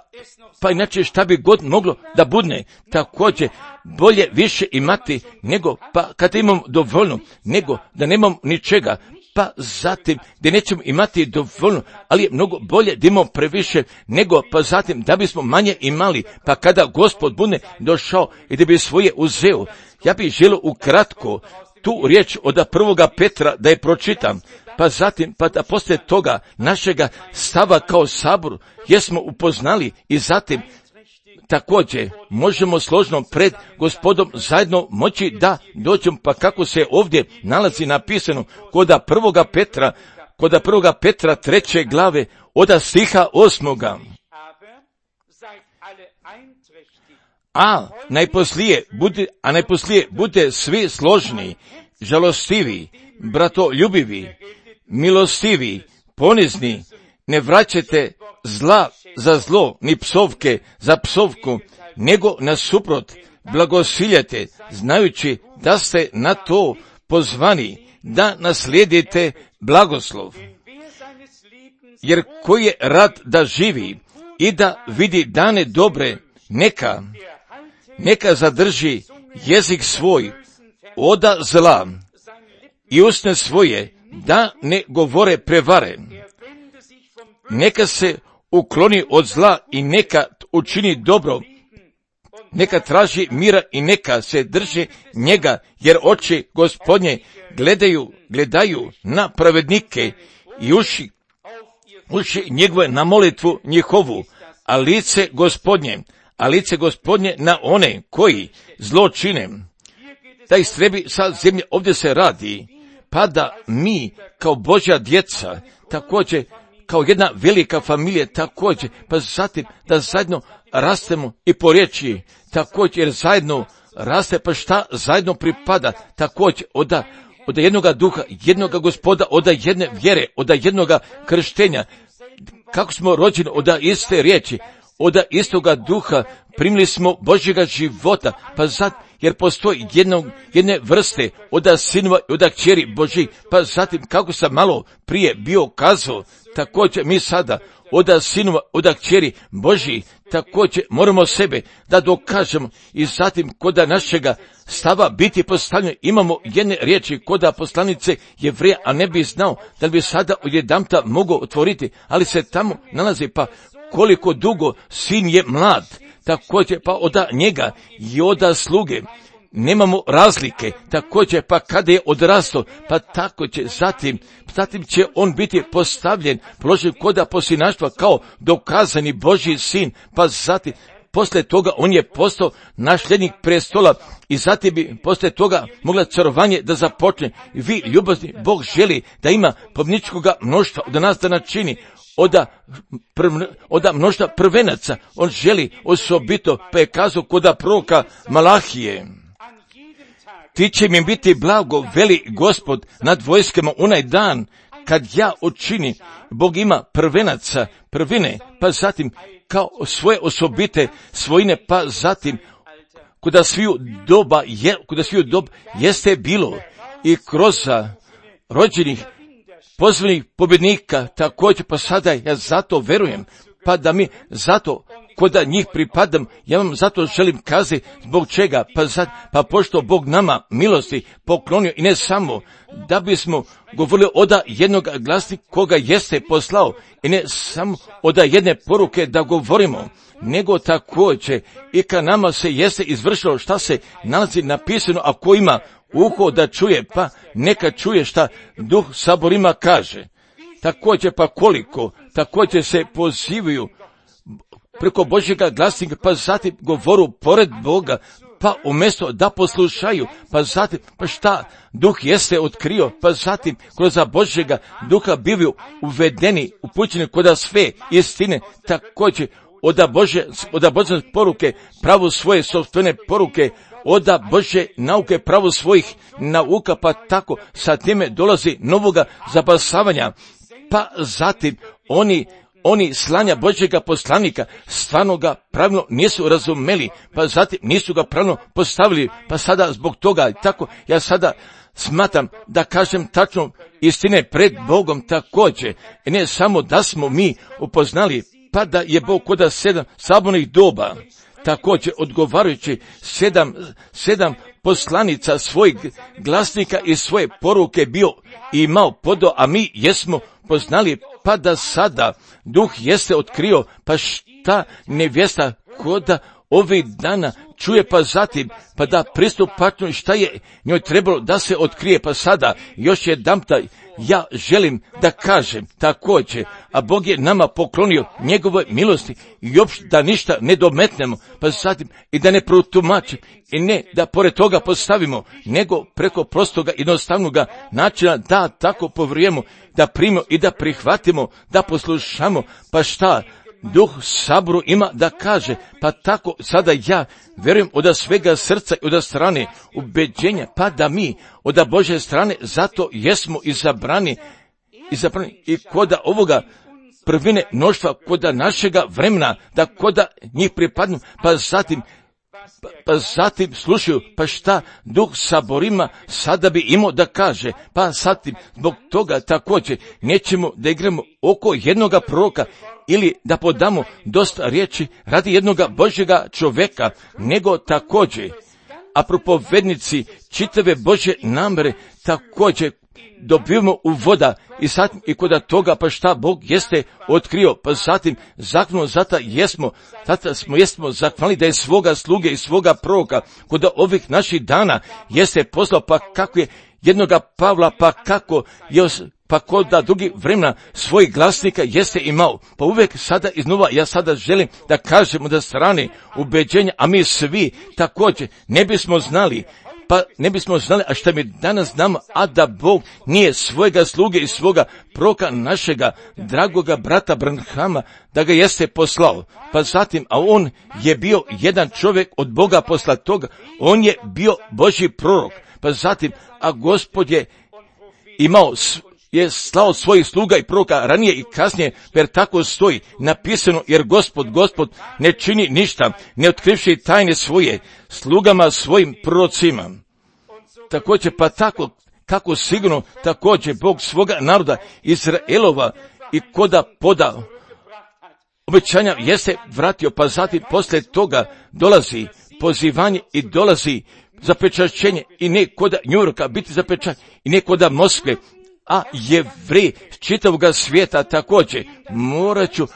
[SPEAKER 1] pa inače šta bi god moglo da budne, također, bolje više imati nego, pa kad imamo dovoljno, nego da nemamo ničega, pa zatim da nećemo imati dovoljno, ali je mnogo bolje da imamo previše, nego pa zatim da bismo manje imali, pa kada Gospod bude došao i da bi svoje uzeo. Ja bih želio ukratko tu riječ od prvoga Petra da je pročitam, pa zatim, pa da poslije toga našega stava kao sabor jesmo upoznali i zatim također možemo složno pred Gospodom zajedno moći da dođemo, pa kako se ovdje nalazi napisano koda prvoga Petra, koda prvoga Petra treće glave od stiha osmoga. A najposlije bude, a najposlije bude svi složni, žalostivi, bratoljubivi, milostivi, ponizni, ne vraćate zla za zlo, ni psovke za psovku, nego nasuprot blagosiljate, znajući da ste na to pozvani, da naslijedite blagoslov. Jer koji je rad da živi i da vidi dane dobre, neka, neka zadrži jezik svoj oda zla i usne svoje da ne govore prevare. Neka se ukloni od zla i neka učini dobro, neka traži mira i neka se drži njega, jer oči Gospodnje gledaju, gledaju na pravednike i uši, uši njegove na molitvu njihovu, a lice Gospodnje, a lice Gospodnje na one koji zlo čine, da istrebi sa zemlje. Ovdje se radi, pa da mi kao Božja djeca, također kao jedna velika familija, također, pa zatim da zajedno rastemo i po riječi, također jer zajedno raste, pa šta zajedno pripada, također od, od jednoga duha, jednoga Gospoda, od jedne vjere, od jednoga krštenja, kako smo rođeni od iste riječi, od istoga duha, primili smo Božjega života, pa zatim, jer postoji jednog, jedne vrste od sinova i od kćeri Božji, pa zatim, kako sam malo prije bio kazao, također mi sada od sinova, od kćeri Božji, također moramo sebe da dokažemo i zatim koda našega stava biti postavljeno. Imamo jedne riječi koda poslanice Jevreja, a ne bi znao da bi sada odjedanputa mogao otvoriti, ali se tamo nalazi, pa koliko dugo sin je mlad, također pa od njega i od sluge nemamo razlike, također pa kada je odrastao, pa tako će zatim, zatim će on biti postavljen, položen koda posinaštva kao dokazani Božji sin, pa zatim poslije toga on je postao nasljednik prestola i zatim bi poslije toga mogla carovanje da započne. Vi, ljubazni, Bog želi da ima pobničkoga mnoštva od nas da načini, oda, prv, oda mnoštva prvenaca, on želi osobito, pa je kazao koda proroka Malahije. Ti će mi biti blago, veli Gospod nad vojskama, onaj dan kad ja učinim. Bog ima prvenaca, prvine, pa zatim kao svoje osobite svojine, pa zatim kuda sviju doba je, kuda sviju doba jeste bilo i kroz rođenih pozvanih pobjednika, također pa sada ja zato verujem, pa da mi zato koda njih pripadam, ja vam zato želim kazati zbog čega, pa, zat, pa pošto Bog nama milosti poklonio i ne samo da bismo govorili oda jednog glasnika koga jeste poslao i ne samo oda jedne poruke da govorimo, nego također i ka nama se jeste izvršilo šta se nalazi napisano, a ko ima uho da čuje, pa neka čuje šta Duh saborima kaže. Također pa koliko, također se pozivaju preko Božjega glasnika, pa zatim govoru pored Boga, pa umjesto da poslušaju, pa zatim, pa šta Duh jeste otkrio, pa zatim kroz Božjega Duha bivaju uvedeni, upućeni koda sve istine, također oda Bože, oda Božje poruke, pravu svoje sopstvene poruke, oda Božje nauke, pravu svojih nauka, pa tako sa time dolazi novoga zapasavanja, pa zatim oni Oni slanja Božjega poslanika stvarno ga pravilno nisu razumeli, pa zatim nisu ga pravilno postavili, pa sada zbog toga, tako ja sada smatram da kažem tačno istine pred Bogom također, i ne samo da smo mi upoznali, pa da je Bog koda sedam sabornih doba, također odgovarajući sedam, sedam poslanica svojih glasnika i svoje poruke bio i imao podo, a mi jesmo poznali, pa da sada Duh jeste otkrio, pa šta nevjesta koda ovih dana čuje, pa zatim, pa da pristupačno šta je njoj trebalo da se otkrije, pa sada još jedanputa ja želim da kažem također, a Bog je nama poklonio njegove milosti i uopšte da ništa ne dometnemo, pa zatim i da ne protumačimo i ne da pored toga postavimo, nego preko prostoga jednostavnoga načina da tako povrijemo, da primimo i da prihvatimo, da poslušamo, pa šta Duh saboru ima da kaže, pa tako sada ja vjerujem od svega srca i od strane ubeđenja, pa da mi od Božje strane zato jesmo izabrani, izabrani i koda ovoga prvine mnoštva, koda našega vremena, da koda njih pripadnu, pa zatim Pa, pa zatim slušaju, pa šta Duh saborima sada bi imao da kaže, pa zatim zbog toga također nećemo da igramo oko jednoga proroka ili da podamo dosta riječi radi jednoga Božjega čovjeka, nego također, a propovednici čitave Božje namere također dobivamo u voda i zatim i koda toga pa šta Bog jeste otkrio, pa zatim zakonu zata jesmo, zata smo jesmo zakvali da je svoga sluge i svoga proroka koda ovih naših dana jeste poslao, pa kako je jednoga Pavla, pa kako je pa koda drugi vremena svojih glasnika jeste imao, pa uvijek sada iznova ja sada želim da kažemo da strane ubeđenja, a mi svi također ne bismo znali, pa ne bismo znali, a šta mi danas znamo, a da Bog nije svojega sluge i svoga proroka našega dragoga brata Branhama, da ga jeste poslao. Pa zatim, a on je bio jedan čovjek od Boga posla toga, on je bio Božji prorok. Pa zatim, a Gospod je imao, je slao svojih sluga i proroka ranije i kasnije, jer tako stoji napisano, jer Gospod, Gospod ne čini ništa, ne otkrivši tajne svoje slugama svojim prorocima. Također pa tako, kako sigurno također Bog svoga naroda Izraelova i koda poda obećanja jeste vratio, pa zatim poslije toga dolazi pozivanje i dolazi zapečaćenje i ne koda Njujorka biti zapečaćenje i ne koda Moskve, a Jevreji čitavog svijeta također morat ću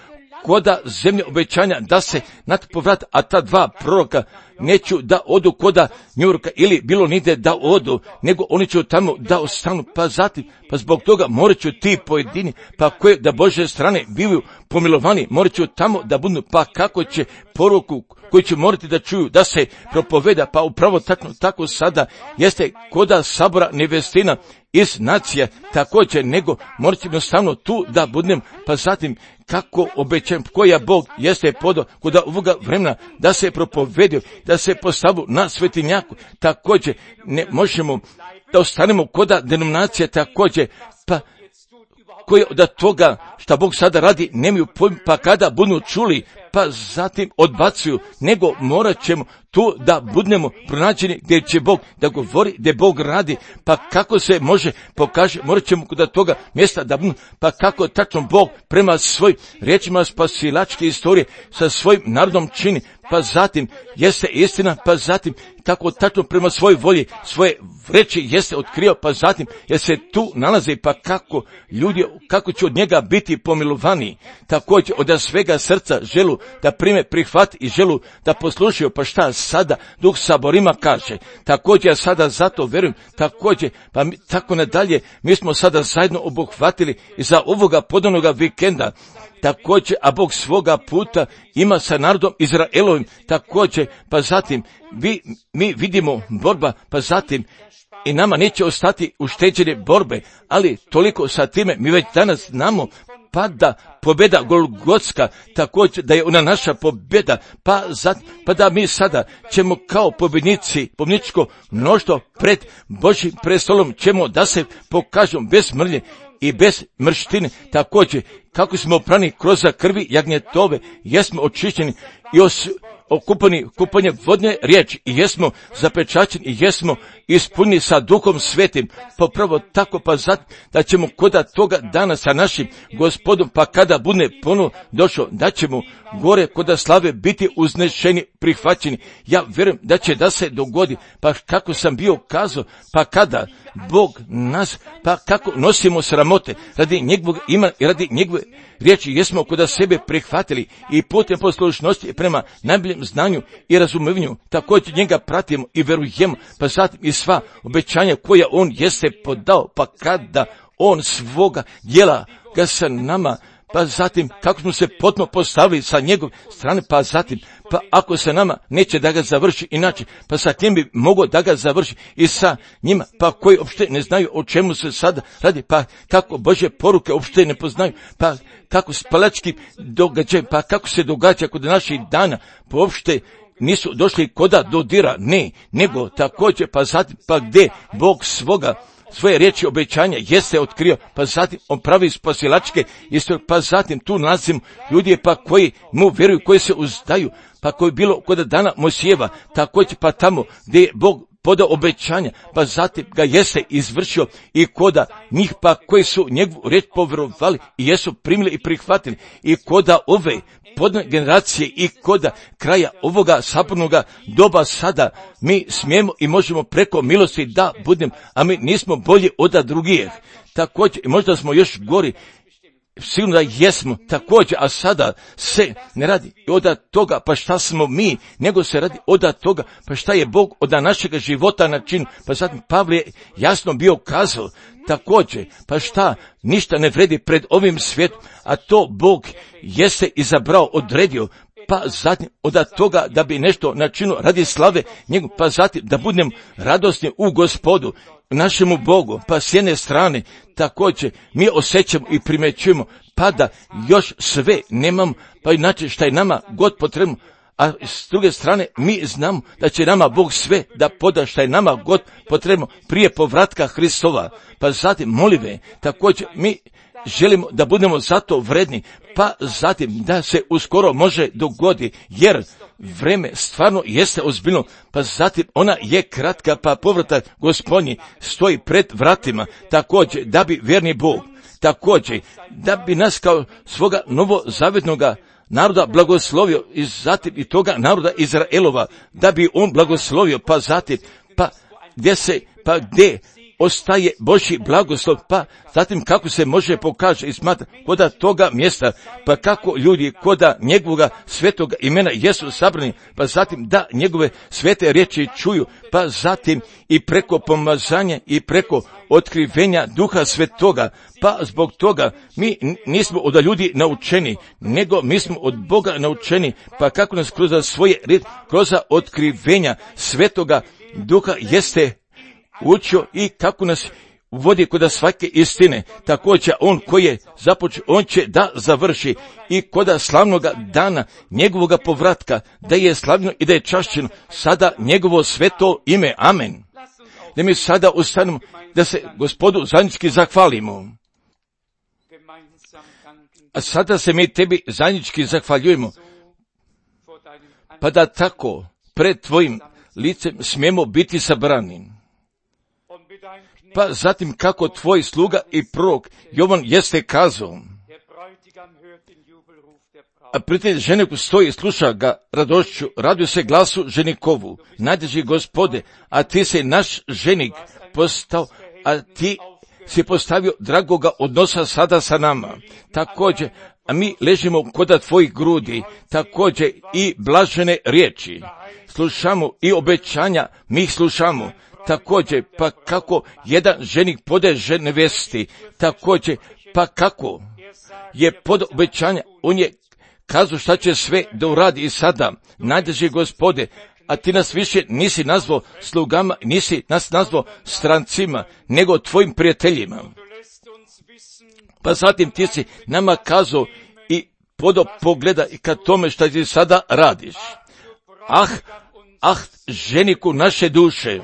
[SPEAKER 1] koda zemlje obećanja da se na to povrati, a ta dva proroka neću da odu koda Njujorka ili bilo nide da odu, nego oni će tamo da ostanu, pa zatim, pa zbog toga morat ću ti pojedini, pa koje da Božje strane bivaju pomilovani, morat ću tamo da budu, pa kako će poruku koji će morati da čuju, da se propoveda, pa upravo tako, tako sada jeste koda sabora nevestina iz nacija također, nego morat ću jednostavno tu da budem, pa zatim kako obećam, koja Bog jeste podao koda ovoga vremena da se propovedio, da se postavu na svetinjaku, također ne možemo da ostanemo koda denominacija također, pa koji od toga šta Bog sada radi nemaju pojma, pa kada budu čuli, pa zatim odbacuju, nego morat ćemo tu da budemo pronađeni gdje će Bog da govori, gdje Bog radi, pa kako se može pokaže, morat ćemo kod toga mjesta da budemo, pa kako tačno Bog prema svojim riječima spasilačke istorije sa svojim narodom čini, pa zatim jeste istina, pa zatim kako tačno prema svojoj volji, svoje reči jeste otkrio, pa zatim jer se tu nalazi, pa kako ljudi, kako će od njega biti pomilovani, također od svega srca želu da prime, prihvati i želu da poslušaju, pa šta sada Duh Saborima kaže, također sada zato verujem, također, pa mi, tako nadalje, mi smo sada zajedno obuhvatili i za ovoga podanoga vikenda, također, a Bog svoga puta ima sa narodom Izraelovim, također, pa zatim vi, mi vidimo borba, pa zatim i nama neće ostati ušteđene borbe, ali toliko sa time mi već danas znamo, pa da pobjeda Golgotska, također da je ona naša pobjeda, pa, za, pa da mi sada ćemo kao pobjednici, pobjedničko mnoštvo pred Božjim prestolom ćemo da se pokažemo bez mrlje i bez mrštine, također kako smo oprani kroz krvi jagnjetove, jesmo očišćeni i os, okupani kupanje vodne riječi i jesmo zapečaćeni i jesmo ispunjeni sa Duhom Svetim, popravo tako pa zato da ćemo koda toga dana sa našim Gospodom, pa kada bude ponovo došao, da ćemo gore koda slave biti uznešeni, prihvaćeni. Ja vjerujem da će da se dogodi, pa kako sam bio kazao, pa kada Bog nas, pa kako nosimo sramote radi njegovog ima i radi njegove riječi, jesmo koda sebe prihvatili i putem poslušnosti prema najboljem znanju i razumijevanju, također njega pratimo i verujemo, pa zatim i sva obećanja koja on jeste podao, pa kada on svoga djela ga sa nama, pa zatim kako smo se potpuno postavili sa njegove strane, pa zatim, pa ako se nama neće da ga završi inače, pa sa kim bi mogao da ga završi i sa njima, pa koji uopšte ne znaju o čemu se sada radi, pa kako Božje poruke uopšte ne poznaju, pa kako spalački događaj, pa kako se događa kod naših dana, pa uopšte nisu došli koda dodira, ne, nego također, pa zatim, pa gdje Bog svoga svoje riječi obećanja jeste otkrio, pa zatim on pravi spasilačke istorije, pa zatim tu nalazimo ljudi pa koji mu vjeruju, koji se uzdaju, pa koji bilo kod dana Mojsijeva, također pa tamo gdje je Bog podao obećanja, pa zatim ga jeste izvršio i koda njih pa koji su njegovu riječ povjerovali i jesu primili i prihvatili i koda ove podne generacije i koda kraja ovoga sabornoga doba sada mi smijemo i možemo preko milosti da budem, a mi nismo bolji od drugih. Također, možda smo još gori, sigurno da jesmo, također, a sada se ne radi od toga, pa šta smo mi, nego se radi od toga, pa šta je Bog od našega života način, pa zatim Pavle je jasno bio kazao, također, pa šta, ništa ne vredi pred ovim svijetom, a to Bog jeste izabrao, odredio, pa zatim od toga da bi nešto načinio radi slave njegov, pa zatim da budemo radosni u Gospodu, našemu Bogu, pa s jedne strane također mi osjećamo i primećujemo, pa da još sve nemamo, pa inače šta je nama God potrebno, a s druge strane mi znamo da će nama Bog sve da poda šta je nama God potrebno prije povratka Hristova, pa zatim molive, također mi želimo da budemo zato vredni, pa zatim da se uskoro može dogodi, jer vreme stvarno jeste ozbiljno, pa zatim ona je kratka, pa povratak Gospodnji stoji pred vratima, također da bi vjerni Bog, također da bi nas kao svoga novozavjetnoga naroda blagoslovio i zatim i toga naroda Izraelova, da bi on blagoslovio, pa zatim, pa gdje se, pa gdje ostaje Božji blagoslov, pa zatim kako se može pokaže i smatra koda toga mjesta, pa kako ljudi koda njegovoga svetoga imena jesu sabrani, pa zatim da njegove svete riječi čuju, pa zatim i preko pomazanja i preko otkrivenja Duha Svetoga, pa zbog toga mi nismo od ljudi naučeni, nego mi smo od Boga naučeni, pa kako nas kroz svoje riječi, kroz otkrivenja Svetoga Duha jeste učio i kako nas vodi kod svake istine, također on koji je započeo, on će da završi i kod slavnoga dana njegovoga povratka, da je slavno i da je čašćeno sada njegovo sveto ime. Amen. Da mi sada ustanemo, da se Gospodu zajednički zahvalimo. A sada se mi tebi zajednički zahvaljujemo, pa da tako pred tvojim licem smijemo biti sabrani. Pa zatim kako tvoj sluga i prorok Jovan jeste kazao, a prijatelj ženiku stoji i sluša ga radošću, raduje se glasu ženikovu, najdraži Gospode, a ti si naš ženik postao, a ti si postavio dragoga odnosa sada sa nama. Također, a mi ležimo koda tvojih grudi, također i blažene riječi. Slušamo i obećanja, mi ih slušamo. Također, pa kako jedan ženik podeže nevesti, također, pa kako je pod obećanja, on je kazao šta će sve da uradi i sada, najdraži Gospode, a ti nas više nisi nazvao slugama, nisi nas nazvao strancima, nego tvojim prijateljima. Pa zatim ti si nama kazao i podo pogleda i ka tome šta ti sada radiš. Ah, ah, ženiku naše duše,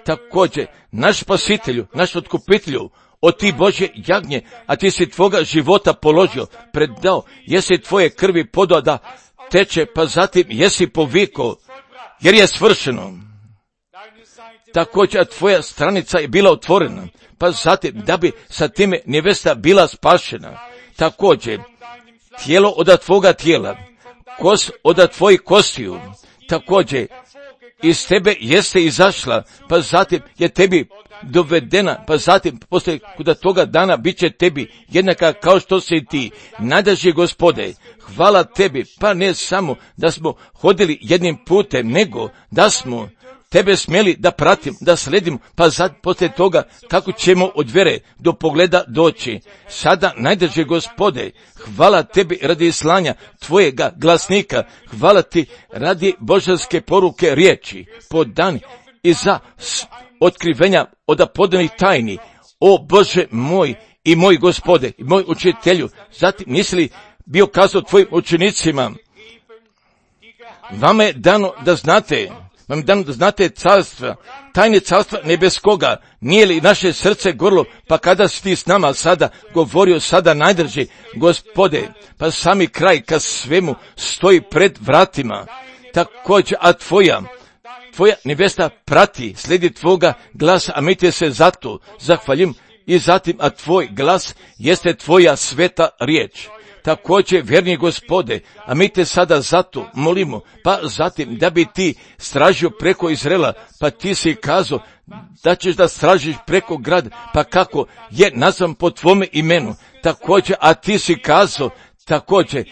[SPEAKER 1] također, naš spasitelju, naš otkupitelju, o ti Božje jagnje, a ti si tvoga života položio, predao, jesi tvoje krvi podao da teče, pa zatim jesi povikao, jer je svršeno. Također, tvoja stranica je bila otvorena, pa zatim da bi sa time nevesta bila spašena. Također, tijelo od tvoga tijela, kost od tvojih kostiju, također, iz tebe jeste izašla, pa zatim je tebi dovedena, pa zatim poslije kuda toga dana bit će tebi jednaka kao što si ti. Najdraži Gospode, hvala tebi, pa ne samo da smo hodili jednim putem, nego da smo tebe smjeli da pratim, da sledim, pa sad poslije toga kako ćemo od vjere do pogleda doći. Sada, najdraži Gospode, hvala tebi radi slanja tvojega glasnika, hvala ti radi božanske poruke riječi, podani i za otkrivenja od podanih tajni. O Bože moj i moj Gospode, i moj učitelju, zatim nisi li bio kazao tvojim učenicima, vama je dano da znate, vam je dano da znate carstva, tajne carstva nebeskoga, nije li naše srce gorlo, pa kada si ti s nama sada govorio sada najdraži Gospode, pa sami kraj kad svemu stoji pred vratima, također, a tvoja, tvoja nevesta prati, slijedi tvoga glasa, a mi te se zato zahvaljim i zatim, a tvoj glas jeste tvoja sveta riječ. Također, vjerni Gospode, a mi te sada zato molimo, pa zatim da bi ti stražio preko Izraela, pa ti si kazao da ćeš da stražiš preko grada, pa kako je nazvan po tvome imenu. Također, a ti si kazao, također,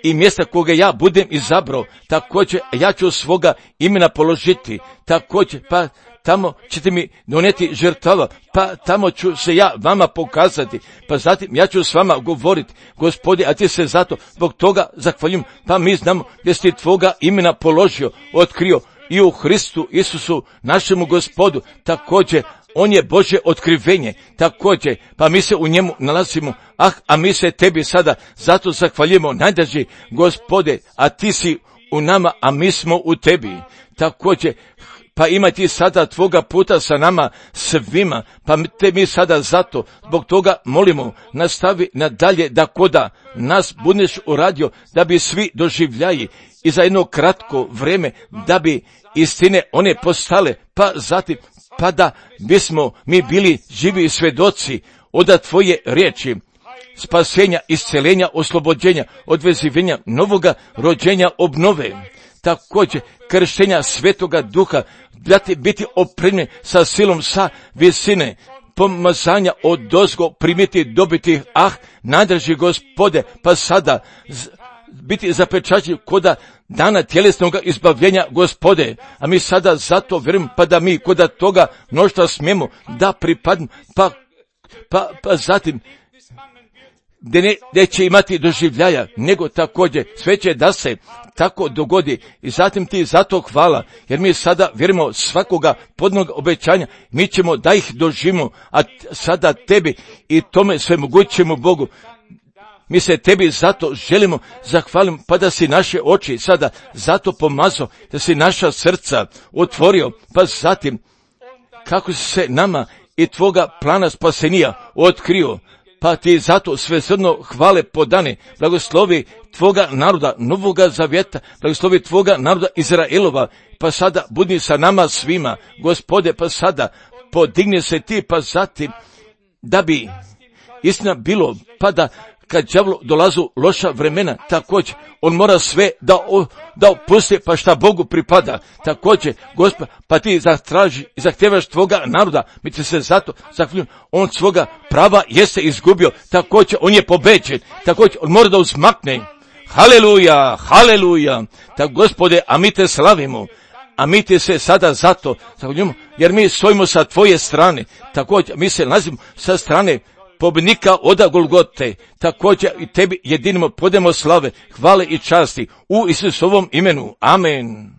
[SPEAKER 1] i mjesta koga ja budem izabrao, također ja ću svoga imena položiti, također, pa tamo ćete mi donijeti žrtava, pa tamo ću se ja vama pokazati, pa zatim ja ću s vama govoriti, Gospode, a ti se zato zbog toga zahvaljujem, pa mi znamo gdje si tvoga imena položio, otkrio i u Hristu Isusu, našemu Gospodu, također, on je Božje otkrivenje, također, pa mi se u njemu nalazimo, ah, a mi se tebi sada zato zahvaljujemo, najdraži Gospode, a ti si u nama, a mi smo u tebi, također, pa ima ti sada tvoga puta sa nama svima, pa te mi sada zato, zbog toga molimo, nastavi nadalje da koda nas budeš uradio, da bi svi doživljaji i za jedno kratko vrijeme, da bi istine one postale, pa zatim, pa da bismo mi bili živi svjedoci od tvoje riječi, spasenja, isceljenja, oslobođenja, odvezivenja, novoga rođenja, obnove, također krštenja Svetoga Duha, da ti biti opremljen sa silom sa visine, pomazanja od dozgo primiti, dobiti, ah, najdraži Gospode, pa sada z, biti zapečaćen koda dana tjelesnog izbavljenja, Gospode, a mi sada zato vjerujem, pa da mi koda toga mnoštva smijemo da pripadnu, pa, pa, pa zatim gdje ne, ne će imati doživljaja, nego također sve će da se tako dogodi i zatim ti zato hvala, jer mi sada vjerujemo svakoga podnog obećanja, mi ćemo da ih doživimo, a sada tebi i tome sve mogućemo Bogu. Mi se tebi zato želimo zahvaliti, pa da si naše oči sada zato pomazao, da si naša srca otvorio, pa zatim kako si se nama i tvoga plana spasenija otkrio, pa ti zato sve srno hvale podane, blagoslovi tvoga naroda Novoga Zavjeta, blagoslovi tvoga naroda Izraelova, pa sada budi sa nama svima, Gospode, pa sada podigni se ti, pa zatim, da bi istina bilo, pa da kad đavlu dolazu loša vremena, također, on mora sve da, o, da opusti, pa šta Bogu pripada. Također, Gospod, pa ti zatraži i zahtevaš tvoga naroda, mi ti se zato zahvaljujemo, on svoga prava jeste izgubio, također, on je pobeđen, također, on mora da uzmakne. Haleluja, haleluja, tako Gospode, a mi te slavimo, a mi ti se sada zato zahvaljujemo, jer mi stojimo sa tvoje strane, također, mi se nalazimo sa strane pobjednika oda Golgote, također i tebi jedinimo podemo slave, hvale i časti u Isusovom imenu. Amen.